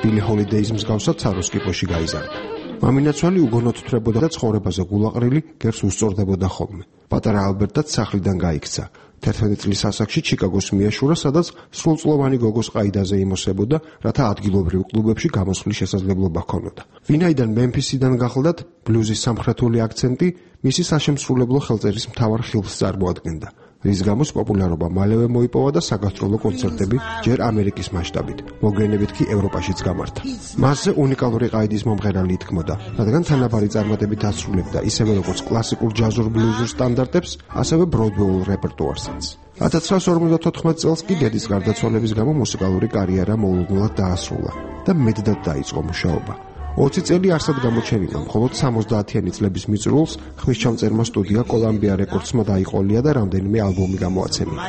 S4: ბილი ჰოლიდეის მსგავსად საროსკიპოში გაიზარდა. მამინაცვალი უგონოდ თვრებოდა და ცხოვრებაზე გულაყრილი გერს უსწორდებოდა ხოლმე. პატარა ალბერტაც სახლიდან გაიქცა. 11 წლის ასაკში ჩიკაგოს მიაშურა, სადაც სრულწლოვანი გოგოს ყაიდაზე იმოსებოდა, რათა ადგილობრივ კლუბებში გამოსვლის შესაძლებლობა ჰქონოდა. ვინაიდან მემფისიდან გახლდათ, ბლუზის სამხრეთული აქცენტი მისი საშემსრულებლო ხელწერის მთავარ ხილს წარმოადგენდა, რის გამოც პოპულარობა მალევე მოიპოვა და საგასტროლო კონცერტები ჯერ ამერიკის მასშტაბით, მოგვიანებით კი ევროპაშიც გამართა. მასზე უნიკალური ყაიდის მომღერალი ითქმოდა, რადგან თანაბარი წარმატებით ასრულებდა ისევე როგორც კლასიკურ ჯაზურ ბლუზურ სტანდარტებს, ასევე ბროდვეულ რეპერტუარსაც. 1954 წელს კი დედის გარდაცვალების გამო მუსიკალური კარიერა მოულოდნელად დაასრულა და მეტად დაიწყო მუშაობა. 20 წელი არსად გამოჩენილა, მხოლოდ 70-იანი წლების მიწურულს ხმისჩამწერმა სტუდია კოლუმბია რეკორდსმა დაიყოლია და რამდენიმე ალბომი გამოაცემია.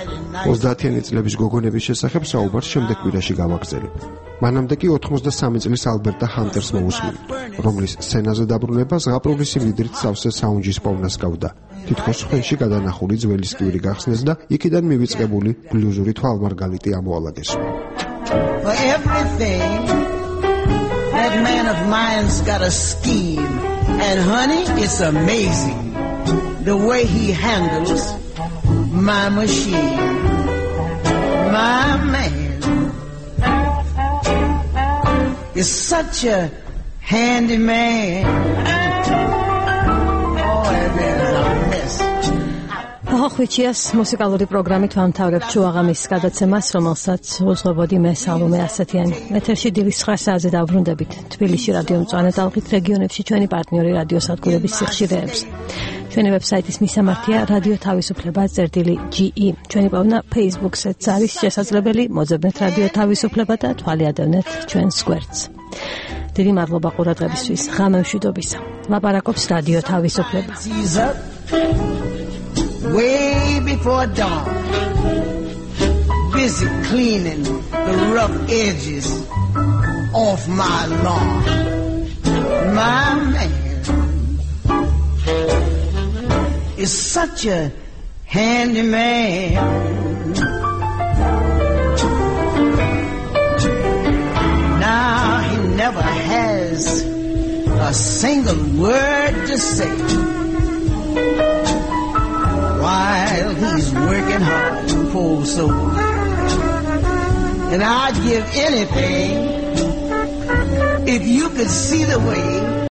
S4: 30-იანი წლების გოგონების შესახებ საუბარს შემდეგ კვირაში გავაგრძელებ. მანამდე კი 83 წლის ალბერტა ჰანტერს მოусმინე, რომლის სცენაზე დაბრუნება ზღაპრული სიმდიდრით სავსე საუნჯის პოვნას გავდა. თითქოს ხელში გადანახული ძველი სკვირი გახსნეს და იქიდან მივიწყებული ბლუზური თვალმარგალიტი ამოალაგეს.
S23: That man of mine's got a scheme, and honey, it's amazing.
S11: the way he handles my machine. My man is such a handy man. Oh, there's a mess.
S1: ხოხვიჩიას მუსიკალური პროგრამით ვამთავრებთ შუაღამის გადაცემას, რომელსაც უძღვებოდი მე სალომე ასათიანი. ეთერში დილის 9 საათზე დავბრუნდებით თბილისში რადიო მწვანე ტალღით, რეგიონებში ჩვენი პარტნიორი რადიოსადგურების სიხშირეებს. ჩვენი ვებსაიტის მისამართია რადიო თავისუფლება.ge. ჩვენი პოვნა Facebook-საც არის შესაძლებელი, მოძებნეთ რადიო თავისუფლება და თვალი ადევნეთ ჩვენს გვერდს. დიდი მადლობა ყურადღებისთვის. ღამე მშვიდობისა. ლაპარაკობს რადიო თავისუფლება.
S11: Way before dawn, busy cleaning the rough edges off my lawn. My man is such a handy man. Now he never has a single word to say while he's working hard, poor soul. And I'd give anything if you could see the way